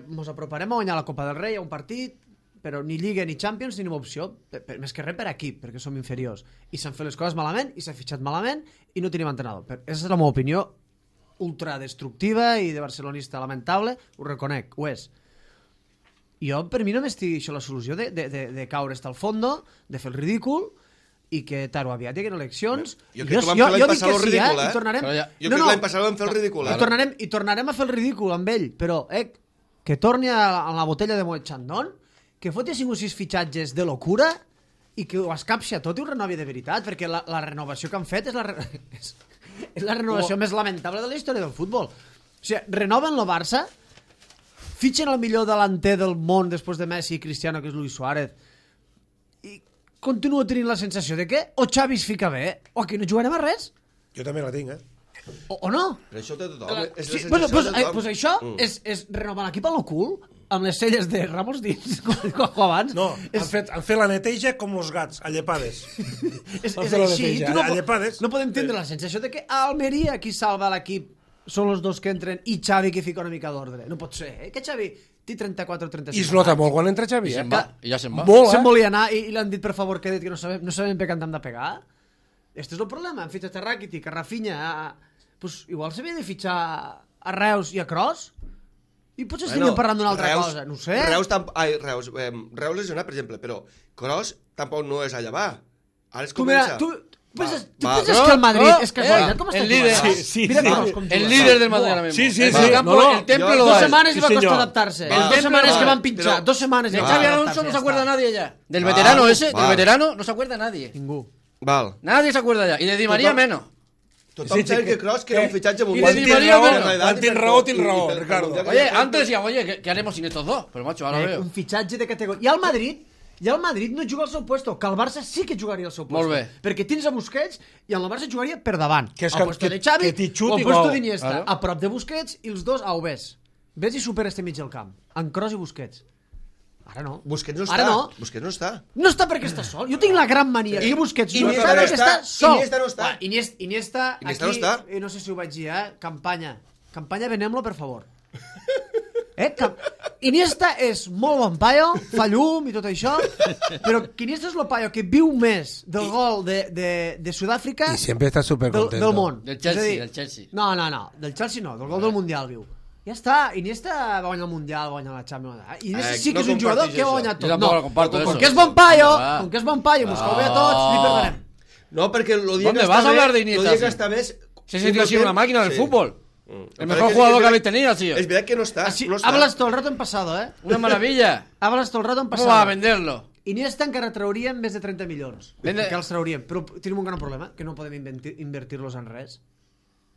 mos aproparem a guanyar la Copa del Rei a un partit, però ni Lliga ni Champions ni opció, més que res per equip, perquè som inferiors. I s'han fet les coses malament, i s'ha fitxat malament, i no tenim entrenador. Aquesta és la meva opinió ultradestructiva i de barcelonista lamentable, ho reconec, ho és. Jo, per mi, només tinc això la solució de caure hasta el fondo, de fer el ridícul, i que tard o aviat hi haguen eleccions. Jo crec que vam fer l'any passat el ridícul, Jo crec que l'any passat vam fer el ridícul. I tornarem a fer el ridícul amb ell, però que torni a la botella de Moet Chandon, que foti 5 o 6 fitxatges de locura i que ho escapsi a tot i ho renovi de veritat, perquè la renovació que han fet és la renovació més lamentable de la història del futbol. O sigui, renoven el Barça, fitxen el millor delanter del món després de Messi i Cristiano, que és Luis Suárez, i continuo tenint la sensació de que o Xavi es fica bé o aquí no jugarem a res. Jo també la tinc, o no. Però això té tothom. Pues això és renovar l'equip a lo cul, amb les celles de Ramos dins, com abans. No, han fet la neteja com els gats, a llepades. És així, no podem tindre la sensació de que a Almeria qui salva l'equip són els dos que entren i Xavi que fica una mica d'ordre. No pot ser, que Xavi té 34 o 35 I es nota molt quan entra Xavi, I ja se'n va. Se'n volia anar i l'han dit per favor que no sabem per què hem de pegar. Este és el problema. Han fitxat a Rakitic, a Rafinha, pues igual s'havia de fitxar a Reus i a Kroos i potser estaríem parlant d'una altra cosa, no ho sé. Reus lesionat, per exemple, però Kroos tampoc no és a llevar. Ara es comença... ¿Tú piensas que el Madrid es casualidad? ¿Cómo está el líder? El líder del Madrid ahora mismo. Sí. El templo lo 2 semanas iba a costar adaptarse. 2 semanas que van pinchar. 2 semanas. De Xavi Alonso no se acuerda nadie ya. Del veterano ese, del veterano, no se acuerda nadie. Ningú. Nadie se acuerda ya. Y de Di María menos. Tothom sabe que Kroos que era un fitxatge Y de Di María menos. Tiene raó, Ricardo. Oye, antes decían, ¿qué haremos sin estos dos? Pero macho, ahora veo. Un fitxatge de categoria. I al Madrid, I el Madrid no juga al seu puesto, que el Barça sí que jugaria al seu puesto. Molt bé. Perquè tens a Busquets i el Barça jugaria per davant. Que és al puesto de Xavi que t'hi xuti o al puesto gol. d'Iniesta, Claro. a prop de Busquets i els dos a Ves. Ves i supera este mig del camp. En Kroos i Busquets. Ara no. Busquets no Ara està. no. Busquets no està. No està perquè està sol. Jo tinc la gran mania que Busquets no Iniesta està no perquè està. està sol. Iniesta no està. Iniesta Iniesta aquí, no està. no sé si ho vaig dir, campanya. Campanya, venem-lo, per favor. Iniesta és molt bon paio, fa llum i tot això, però que Iniesta és el paio que viu més del gol de Sud-àfrica I sempre està supercontento. del món. Del Chelsea, És a dir, del Chelsea. No, del Chelsea no, del gol del Mundial viu. Ja està, Iniesta va guanyar el Mundial, va guanyar la Champions. Iniesta sí que no és un jugador comparteix que va això. guanyar Jo tot. tampoc No, lo comparto, com eso. que és bon paio, Va. com que és bon paio, mos cau bé a tots, li perdonem. No, perquè el dia ¿Dónde que vas està a hablar bé, de Iniesta, el dia que sí? està més... Se sintió así una máquina del fútbol. El mejor jugador que habéis tenido, tío. Es verdad que no está. Así, no está. hablas todo el rato en pasado, ¿eh? Una maravilla. Hablas todo el rato en ¿Cómo pasado. va a venderlo? Iniesta encara trauríem més de 30 milions. Vende- Que els trauríem, però tenim un gran problema, que no podem invertir-los en res.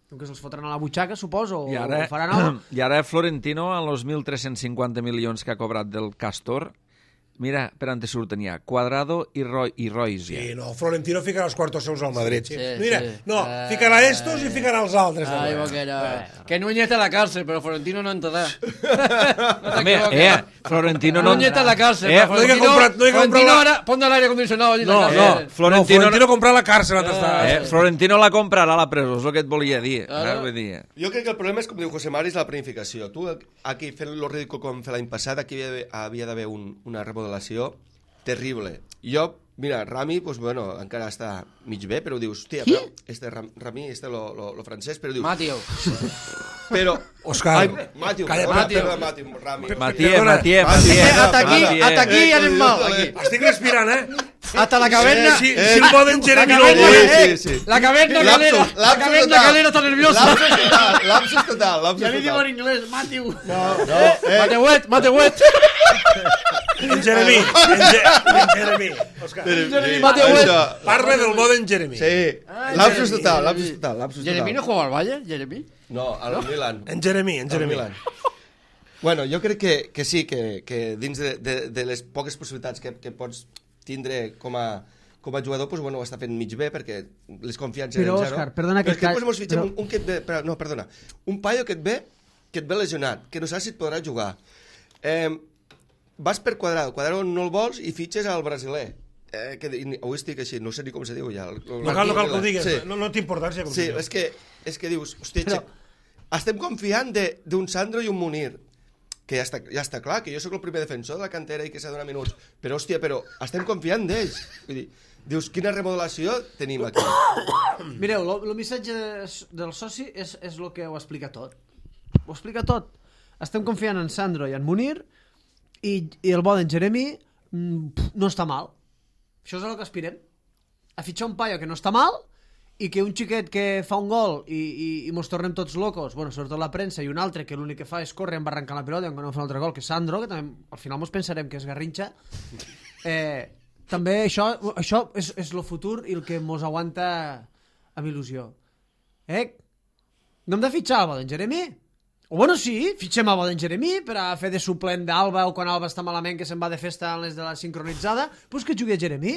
Com que se'ls fotran a la butxaca, suposo, o ho faran algo. I ara Florentino, amb els 1.350 milions que ha cobrat del Castor, mira, per on te surten ja, Cuadrado i Royce. Sí, Ja. no, Florentino ficarà els quartos seus al Madrid. Sí, Mira, sí. no, ficarà estos i ficarà els altres. Ay, també. boquera. Que Núñez está en la cárcel, pero Florentino no entrará. També, Florentino no... Núñez está en la cárcel, pero no hay que Florentino, comprar- no hay que comprar Florentino la- ahora pon el aire acondicionado allí en No, la no, cárcel. Florentino comprar la càrcel on està. Florentino la comprarà a la presó, és el que et volia dir. Claro. Vull dir. Jo crec que el problema és, com diu José Mari, és la planificació. Tu, aquí, fent lo ridícul com fer l'any passat, aquí havia d'haver una remodelació terrible. Jo, mira, Rami, pues, bueno, encara està mig bé, però dius, hòstia, però Rami, lo francès, però dius... Mateo. Però... Òscar, Ai, Matiu, calla, Rami. Matías. Hasta aquí anem mal. Aquí. Estic respirant, Hasta la caverna. Si el poden Jeremy no caverna, vol. sí. La caverna Lapsus, calera. La lapsus caverna total. calera está nerviosa. Lapsus total. Ja li diu en anglès, Matiu. Mateuet. En Jeremy. Òscar, parla del bo d'en Jeremy. Sí, lapsus total. ¿Jeremy no juega al Valle? ¿Jeremy? No, al Milan. En Jeremy. Al Milan. Bueno, jo crec que sí, que dins de les poques possibilitats que pots tindre com a jugador, pues, bueno, ho està fent mig bé, perquè les confiances Però, eren zero. Òscar, perdona que però és que et després mos fitxem però- un que et ve... No, perdona. Un paio que et ve lesionat, que no saps si et podrà jugar. Vas per Cuadrado no el vols i fitxes al brasiler. Avui estic així, no sé ni com se diu ja. No cal que ho digues, Sí. no té importància. Com Sí, se diu. és que dius, hòstia, estem confiant d'un Sandro i un Munir, que ja està clar, que jo sóc el primer defensor de la cantera i que s'ha de donar minuts, però hòstia, estem confiant d'ells. Vull dir, dius, quina remodelació tenim aquí? Mireu, el missatge del soci és el que ho explica tot. Ho explica tot. Estem confiant en Sandro i en Munir i el bo d'en Jeremy no està mal. Això és el que aspirem. A fitxar un paio que no està mal i que un xiquet que fa un gol i mos tornem tots locos, bueno, sobretot la premsa, i un altre que l'únic que fa és córrer amb arrencar la pilota i no fa un altre gol, que és Sandro, que també al final mos pensarem que és Garrincha. També això és el futur i el que mos aguanta amb il·lusió. No hem de fitxar el bo d'en Jeremy? O bueno, sí, fitxem el bo d'en Jeremy per a fer de suplent d'Alba, o quan Alba està malament que se'n va de festa en les de la sincronitzada, doncs que jugui a Jeremy.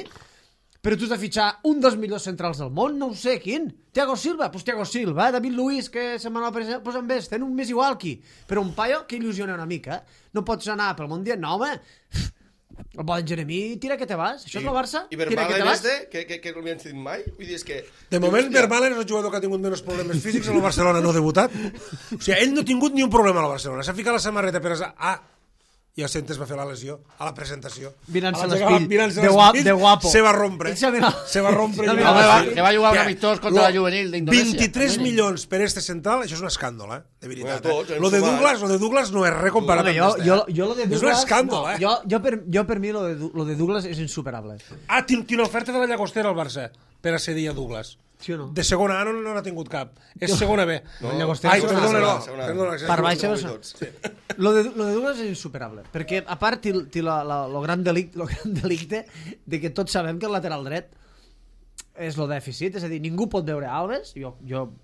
Però tu has de fitxar un dels millors centrals del món, no ho sé, quin? Thiago Silva? Doncs Thiago Silva, David Luiz, que se'n va anar a pues amb ells, tenen un més igual aquí. Però un paio que il·lusiona una mica. No pots anar pel Mundial, no, home. El bo d'en Jeremy, tira que te vas. Això és el Barça? I Tira que te Vermaelen vas. que no l'havien dit mai? Vull dir, és que... De moment, Vermaelen és el jugador que ha tingut menys problemes físics en el Barcelona, no ha debutat. O sigui, ell no ha tingut ni un problema al Barcelona. S'ha ficat la samarreta per... i el Centes va fer la lesió a la presentació. Mirant-se l'espill. l'espill, de guapo. Se va rompre. Ell s'ha mirat. Se va rompre. Home, que va jugar un amistós contra la juvenil d'Indonèsia. 23 milions per este central, això és un escàndol, de veritat. Bueno, tots, Lo de Douglas no és res comparat Home, amb jo lo de Douglas... És un escàndol, Jo per mi lo de Douglas és insuperable. Tinc una oferta de la Llagostera al Barça per a cedir a Douglas. Sí o no? De segona A no n'ha tingut cap. És segona B. Llagostera Ai, és perdona, segona A. perdona. Per baix lo de Douglas és insuperable, perquè a part té lo gran delicte de que tots sabem que el lateral dret és el dèficit, és a dir, ningú pot veure Alves, jo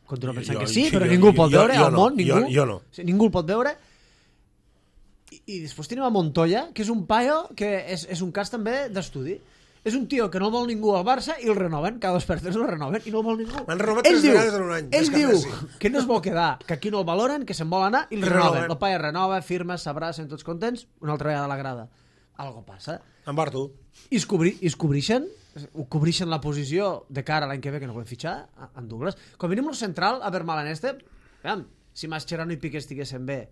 continuo pensant que sí, però ningú pot veure al món, ningú. Jo no. Ningú el pot veure. I després tenim a Montoya, que és un paio que és un cas també d'estudi. És un tio que no el vol ningú al Barça i el renoven, cada 2 per 3 el renoven i no el vol ningú. M'han renovat 3 vegades en un any. Ell diu que no es vol quedar, que aquí no el valoren, que se'n vol anar i el renoven. El paio renova, firma, s'abracen tots contents, una altra vegada a la grada. Algo passa. En Bartu. I es cobrixen la posició de cara a l'any que ve, que no podem fitxar, en Douglas. Com mínim el central, a Vermaelen si Mascherano i Piqué estiguessin bé,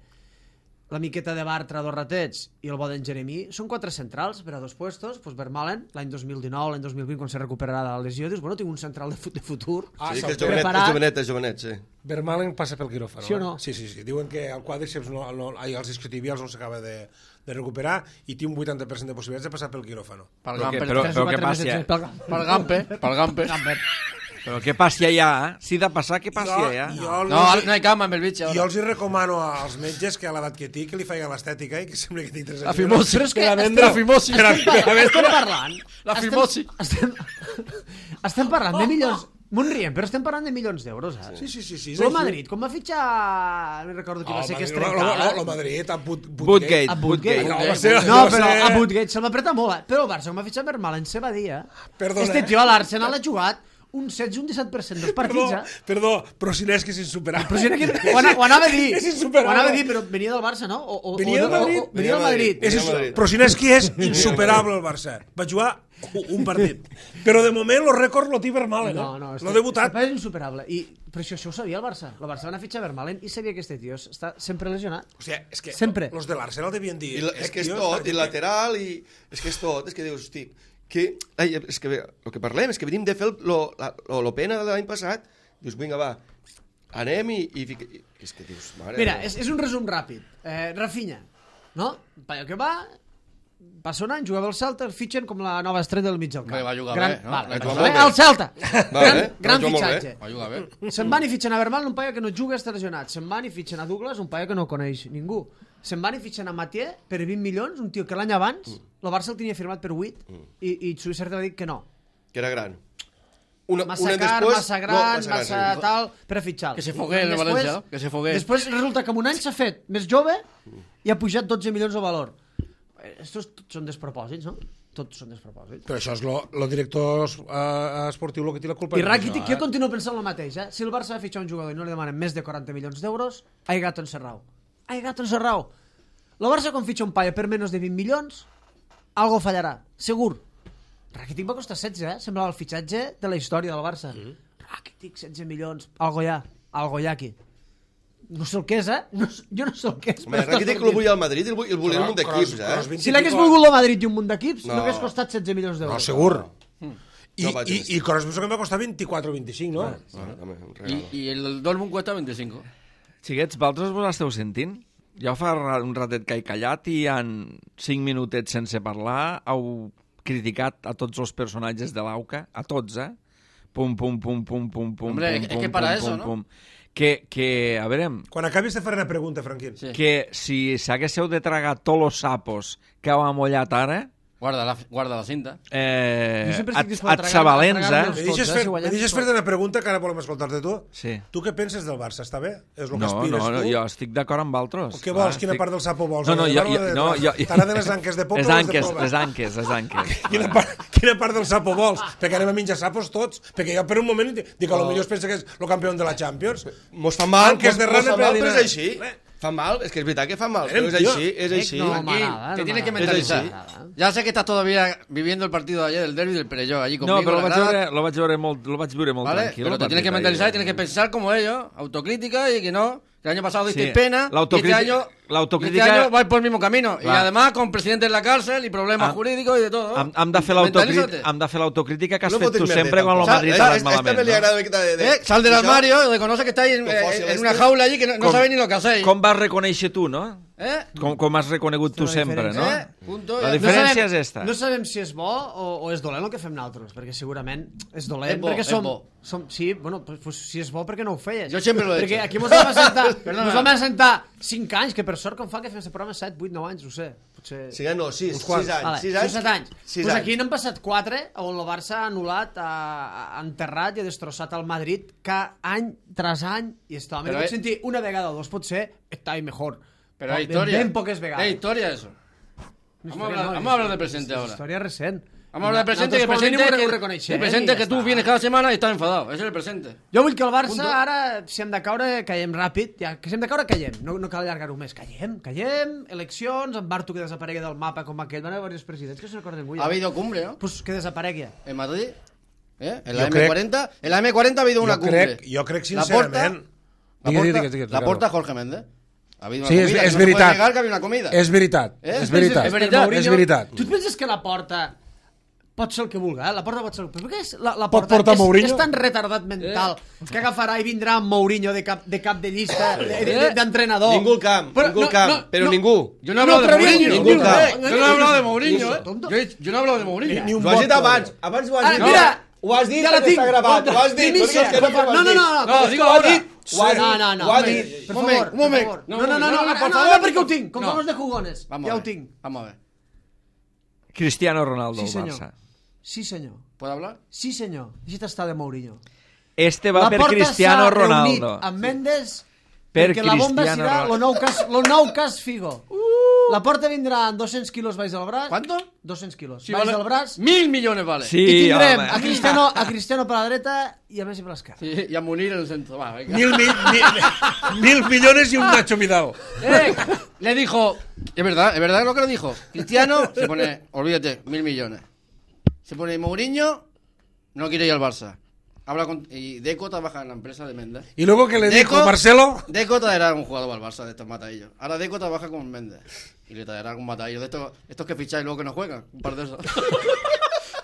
la miqueta de Bartra, 2 ratets, i el bo d'en Jeremí, són 4 centrals per a 2 puestos. Pues Vermaelen, l'any 2019, l'any 2020, quan se recuperarà de la lesió, dius, bueno, tinc un central de futur. Sí, que és jovenet, sí. Vermaelen passa pel quiròfano. Sí o no? Sí. Diuen que el quàdriceps, els isquiotibials no s'acaba de recuperar i té un 80% de possibilitats de passar pel quiròfano. Però què passa? Pel Gamper. Però què passi allà? Si de passar, què passi allà? No hay cama amb el bitx. Jo els hi recomano als metges que a l'edat que tinc que li feien l'estètica i que sembla que tinc 3 anys. La fimosi. Però és que la fimosi. estem parlant... La fimosi. Estem parlant de milions... M'ho riem, però estem parlant de milions d'euros, eh? Sí. El Madrid, com va fitxar... No recordo qui va ser que es trencava. El Madrid, a Bootgate. No, però a Bootgate se'l va apretar molt, eh? Però el Barça, com va fitxar Vermaelen, se va dir, Este tio a l'Arsenal ha jugat un 16 un 17% dels partits, Perdó, però si n'és que és insuperable. Però si ho anava a dir. És insuperable. Ho anava a dir, però venia del Barça, no? Venia del Madrid. Venia del Madrid. Però si n'és que és insuperable el Barça. Va jugar un partit. Però de moment el rècord lo té Vermaelen, No, no ha debutat. És insuperable. Però això ho sabia el Barça. El Barça va anar a fitxar Vermaelen i sabia que este tio està sempre lesionat. O sigui, és que Sempre. els de l'Arsenal devien dir... És que és tot, i lateral, i... És que és tot, és que dius, hosti... és que el que parlem és que venim de fer lo pena de l'any passat, dius, vinga, va, anem i és que dius, mare... Mira, és un resum ràpid. Rafinha, no? Paio que va, passa un any, jugava al Celta, el fitxen com la nova estrella del mig del camp. Va jugar bé, no? Va jugar jugar bé molt bé. al Celta. Gran jugar molt fitxatge. Va jugar bé. Se'n van i fitxen a Vermaelen, un paio que no juga, està lesionat. Se'n van i fitxen a Douglas, un paio que no coneix ningú. Se'n van i fitxen a Mathieu per 20 milions, un tio que l'any abans el Barça el tenia firmat per 8 i Suïssa va dir que no. Que era gran. Massa car, massa gran, massa tal, per a fitxar. Que se fogué el València, no? Que se fogué. Després resulta que en un any s'ha fet més jove i ha pujat 12 milions de valor. Estos són despropòsits, no? Tots són despropòsits. Però això és el director esportiu el que té la culpa. I Rakitic, jo continuo pensant el mateix, Si el Barça va fitxar un jugador i no li demanen més de 40 milions d'euros, hay gato encerrado. Hay gato encerrado. El Barça quan fitxa un paio per menys de 20 milions, algo fallarà, segur. Rakitic va costar 16, semblava el fitxatge de la història del Barça. Rakitic, 16 milions, algo hi ha aquí. No sé el que és, jo no sé el que és. Home, Rakitic el volia al Madrid i el volia un munt d'equips, Si l'hagués volgut el Madrid i un munt d'equips, no hagués costat 16 milions d'euros. No, segur. I Kroos penso que em va costar 24 o 25, no? I el Dortmund cuesta 25. Xiquets, vosaltres vos esteu sentint? Jo fa un ratet que he callat i en 5 minutets sense parlar heu criticat a tots els personatges de l'AUCA, a tots, Pum, pum, pum, pum, pum, pum. Hombre, es que para eso, ¿no? Que, a veure... Quan acabis de fer una pregunta, Franquín. Sí. Que si s'haguéssiu de tragar tots els sapos que heu amollat ara... Guarda la cinta. Et sabalents, Me deixes fer-te una pregunta que ara volem escoltar-te tu? Sí. Tu què penses del Barça? Està bé? És el que No, aspires tu? jo estic d'acord amb altres. Què vols? Quina part del sapo vols? Jo... T'agraden les anques de poble o les de poma? Les anques. Quina part del sapo vols? Perquè anem a menjar sapos tots. Perquè jo per un moment dic que potser es pensa que és el campió de la Champions. Mos fa mal, Anques de rana per però és així. Fa mal, és que és veritat que fa mal, però és així. Te tienes que mentalizar. Ya sé que estás todavía viviendo el partido de ayer, del derbi del Perelló, allí conmigo. No, però lo vaig veure molt ¿vale? tranquilo. Pero te tienes que mentalizar y tienes que pensar como ellos, autocrítica y que no. El año pasado diste Sí, pena la y este año vais por el mismo camino. Y además con presidente en la cárcel y problemas jurídicos y de todo. Hem de fer l'autocrítica que has fet tu sempre quan el Madrid t'ha anat malament. Sal del armario, reconoce que estáis en una jaula allí que no sabéis ni lo que hacéis. Com vas reconèixer tu, no? Com has reconegut tu sempre, no? La diferència és esta. No sabem si és bo o és dolent el que fem nosaltres, perquè segurament és dolent. És bo, perquè és bo. Sí, bueno, pues, si és bo, perquè no ho feies? Jo sempre lo he perquè hecho. aquí mos vam assentar 5 anys, que per sort com fa que fem aquest programa 7, 8, 9 anys, ho sé. Potser... Sí, no, 6 anys. 6 o 7 anys. Pues aquí n'han passat 4 on el Barça ha anul·lat, ha enterrat i ha destrossat el Madrid any tras any, i esto, a mi no pot sentir una vegada o dos, potser està mejor, Pero hay historia. Ben poques vegades. Hay historia eso. Vamos a hablar del presente ahora. Historia recent. Vamos a hablar del presente, que el presente que tú vienes cada semana y estás enfadado. Ese es el presente. Jo vull que el Barça ara, si hem de caure, caiem ràpid. Ja, que si hem de caure, caiem. No cal allargar-ho més. Caiem. Eleccions, en Bartu que desaparegui del mapa com aquell. Van haver diversos presidents que se n'acorden avui. Ha habido cumbre, ¿no? Pues que desaparegui. En Madrid. En la M40 ha habido una cumbre. Jo crec sincerament... La porta Jorge Méndez. Ha habido una Sí, comida. és No se puede veritat. negar que había una comida. És veritat. És veritat. És veritat. És veritat. Tu et penses que la porta pot ser el que vulgui, La porta pot ser el que... Però què és? La Pot porta portar Mourinho? és tan retardat mental que agafarà i vindrà amb Mourinho de cap de llista, d'entrenador. Ningú al camp, però ningú. Yo no he hablado de Mourinho. ningú cap. Yo no he hablado de Mourinho, Yo no he hablado de Mourinho. Ni un Ho has dit vot. abans ho has dit. Mira, ho has dit ja la perquè tinc. està gravat, ho has dit. Primicia. perquè és que no ho has dit. No, digo ahora. Ho has dit. No, Ho has dit. per favor. Un moment. No, perquè ho tinc, com som els de jugones. Ja ho tinc. Vamos a ver. Cristiano Ronaldo Sí, al senyor. Barça. Sí, senyor. ¿Puedo hablar? Sí, senyor. Així està de Mourinho. Este va per Cristiano Ronaldo. Amb Mendes Per perquè la bomba Cristiano serà Ronaldo. lo nou cas Figo. La porta vindrà amb 200 quilos baix del braç. ¿Cuánto? 200 quilos. Sí, baix vale. del braç. 1.000 millones vale. Sí, I tindrem home. a Cristiano per la dreta i a Messi per l'esquerra. Sí, y a Munir en el centro. Va, venga. 1.000 millones y un Nacho Vidal. Le dijo, es verdad lo que le dijo. Cristiano se pone, olvídate, 1.000 millones. Se pone Mourinho, no quiere ir al Barça. Habla con, y Deco trabaja en la empresa de Méndez. Y luego que le dijo Deco- Marcelo... Deco traerá un jugador al Barça de estos matadillos. Ahora Deco trabaja con Méndez. Y le traerá un matadillo de estos que ficháis luego que no juegan. Un par de esos.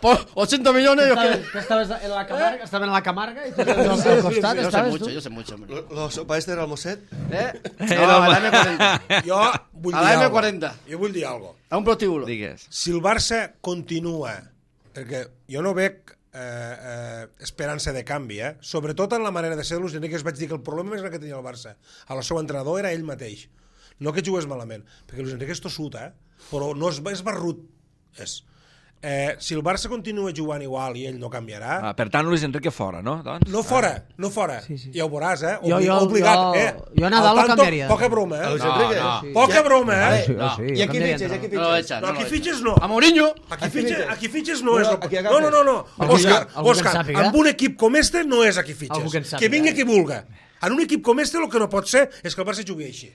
Por 80 millones. Que estaves en la Camarga, estaven a la Camarga i tu al costat, estaves tu. Yo sé mucho, hombre. La sopa este era el Mosset? No, a la M40. Jo vull A dir la algo. M40. Jo vull dir alguna cosa. A un prostíbulo. Digues. Si el Barça continua, perquè jo no veig esperança de canvi, sobretot en la manera de ser de Luis Enrique, vaig dir que el problema més gran que tenia el Barça a la seu entrenador era ell mateix, no que jugués malament, perquè Luis Enrique és tossut, però no és barrut, és. Si el Barça continua jugant igual i ell no canviarà, Per tant, Luis Enrique fora, no? Doncs? no fora, Sí, sí. ja ho veuràs, Jo obligat, a Nadal lo canviaria. Poca broma, A Luis Enrique? Sí. Poca broma, I aquí fitxes, aquí No lo fitxes. echan. No, aquí fitxes no. A Mourinho. Aquí fitxes no és... Aquí No, no, no, no. Algú Òscar, que en sàpiga. amb un equip com este no és aquí Algú que en fitxes. sàpiga. Que vingui qui vulga. En un equip com este el que no pot ser és que el Barça jugui així.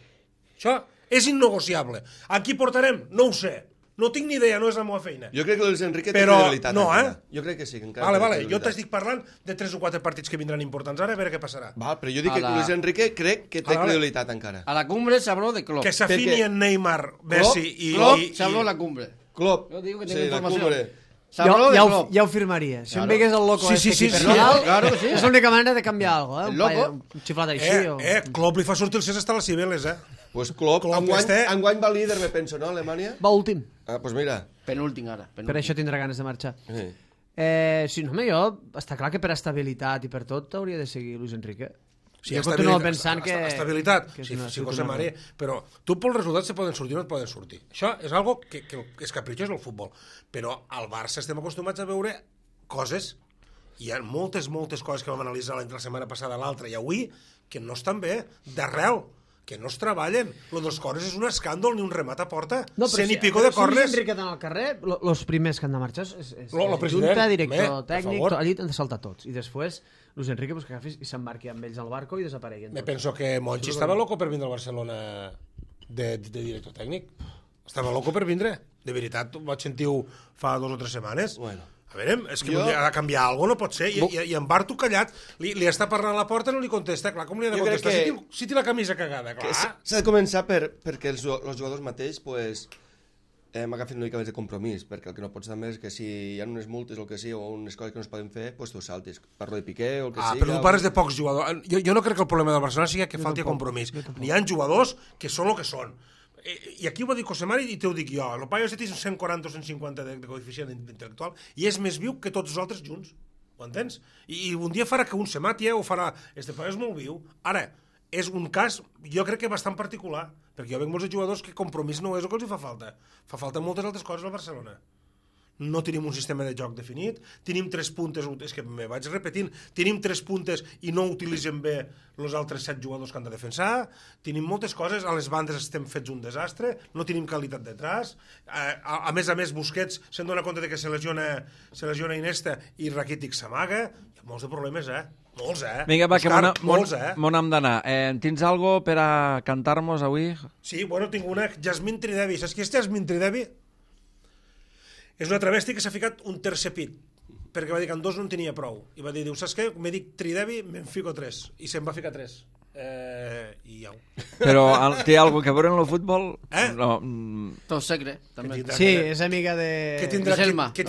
Això és innegociable. A qui portarem? No ho sé. No tinc ni idea, no és la meva feina. Jo crec que Luis Enrique té Però credibilitat. no, encara. Jo crec que sí, que encara Vale, té vale. Jo credibilitat. t'estic parlant de 3 o 4 partits que vindran importants ara, a veure què passarà. Val, però jo dic A que la- Luis Enrique crec que té Vale. credibilitat encara. A la cumbre se habló de Klopp. Que s'afini Perquè- en Neymar, Messi i... Klopp i- se habló en la cumbre. Klopp. Yo digo que Sí, tengo la información. cumbre. Se habló de Klopp. Ja ho firmaria. Si em Claro. veigués el loco Sí, este sí, aquí sí, per sí. Nadal, Claro que sí. és l'única manera de canviar alguna cosa. El loco. Un xiflat així. o... Klopp li fa sortir el Cés hasta les Cibeles, Pues Klopp, Klopp enguany, este- enguany va líder, me penso, no, Alemanya? Va últim. Ah, pues mira. Penúltima ahora. Per això tindrà ganes de marxar. Sí. Sí, no, home, jo... Està clar que per estabilitat i per tot hauria de seguir Luis Enrique. Sí, jo continuo pensant que... Estabilitat, que és sí, una sí, José una- María, però tu pels resultats se poden sortir o no et poden sortir. Això és algo que és capritxós del futbol. Però al Barça estem acostumats a veure coses, hi ha moltes coses que vam analitzar la setmana passada, l'altra i avui, que no estan bé, d'arrel, que no es treballen. Lo dels corners és un escàndol, ni un remat a porta. No, però 100 i pico de si Luis corners. Enrique al carrer, los primers que han de marxar és Lo president, junta, director home, per tècnic, favor. allí han de saltar tots. I després Luis Enrique pues, que agafi i s'embarqui amb ells al barco i desapareguen Me tots. penso que Monchi estava loco per vindre al Barcelona de director tècnic. Estava loco per vindre. De veritat, ho vaig sentir-ho fa 2 o 3 setmanes. Bueno. A veure, és que ha de canviar alguna cosa, no pot ser. I en Bartu callat, li està parlant a la porta i no li contesta. Clar, com li ha de Jo crec contestar? que- Si té la camisa cagada, Que clar. s'ha de començar perquè els jugadors mateix pues, hem agafat una mica més de compromís, perquè el que no pots també és que si hi ha unes multes o el que sigui, o unes coses que no es poden fer, pues tu saltis. Parlo de Piqué o el que sigui. Però tu parles de pocs jugadors. Jo no crec que el problema del Barcelona sigui que falti compromís. N'hi ha jugadors que són el que són. I aquí ho va dir José Mari i t'ho dic jo. El paio té 140 o 150 de coeficient intel·lectual i és més viu que tots els altres junts. Ho entens? I un dia farà que un se mati o farà... Este paio és molt viu. Ara, és un cas, jo crec que bastant particular, perquè jo veig molts jugadors que compromís no és el que els fa falta. Fa falta moltes altres coses al Barcelona. no tenim un sistema de joc definit, tenim 3 puntes, és que me vaig repetint, tenim 3 puntes i no utilitzem bé els altres 7 jugadors que han de defensar, tenim moltes coses, a les bandes estem fets un desastre, no tenim qualitat detrás, a més, Busquets se'n dona compte de que se lesiona Iniesta i Rakitic s'amaga, hi ha molts de problemes, molts, Vinga, va, Òscar, que molts, mon hem d'anar. Tens algo per a cantar-nos avui? Sí, bueno, tinc una, Jasmine Tridevi, saps qui és Jasmine Tridevi? És una travesti que s'ha ficat un tercer pit, perquè va dir que en 2 no en tenia prou. I va dir, saps què? Me dic Tridevi, me'n fico 3. I se'n va ficar 3. I au. Però té algo que veure en el futbol? No. Tot secre, també. Sí, és amiga de... Què tindrà que veure? Què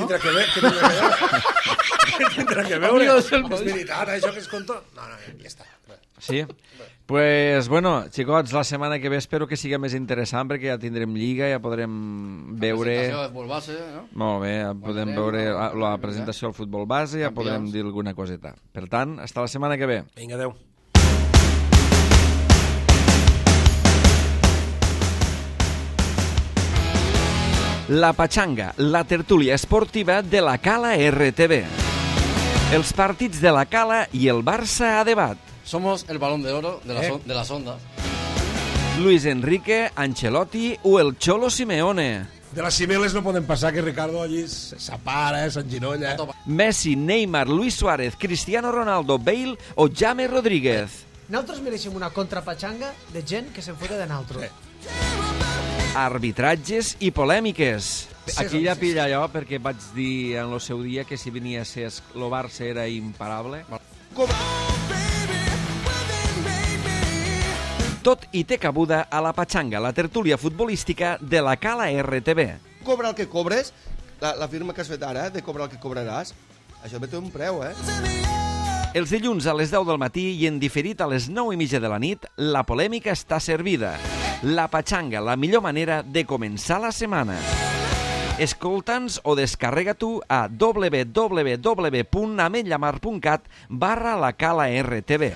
tindrà que veure? És veritat, això que es conta? No, ja està. Sí? Pues, bueno, xicots, la setmana que ve espero que sigui més interessant perquè ja tindrem lliga, ja podrem veure... La presentació del futbol base, no? Molt bé, ja podem veure la presentació del futbol base, ja podrem dir alguna coseta. Per tant, hasta la setmana que ve. Vinga, adeu. La Pachanga, la tertúlia esportiva de la Cala RTV. Els partits de la Cala i el Barça a debat. Somos el balón de oro de las ondas. Luis Enrique, Ancelotti o el Cholo Simeone. De les cimeles no poden passar que Ricardo allí s'apara, s'enginolla. Messi, Neymar, Luis Suárez, Cristiano Ronaldo, Bale o James Rodríguez. Nosaltres mereixem una contrapatxanga de gent que se'n fota de naltro. Arbitratges i polèmiques. Aquí ja pilla allò perquè vaig dir en el seu dia que si venia a ser el Barça era imparable. Tot hi té cabuda a la Pachanga, la tertúlia futbolística de la Cala RTV. Cobra el que cobres, la firma que has fet ara, de cobrar el que cobraràs, això té un preu, Els dilluns a les 10 del matí i en diferit a les 9:30 de la nit, la polèmica està servida. La Pachanga, la millor manera de començar la setmana. Escolta'ns o descarrega tu a www.ametllamar.cat/la Cala RTV.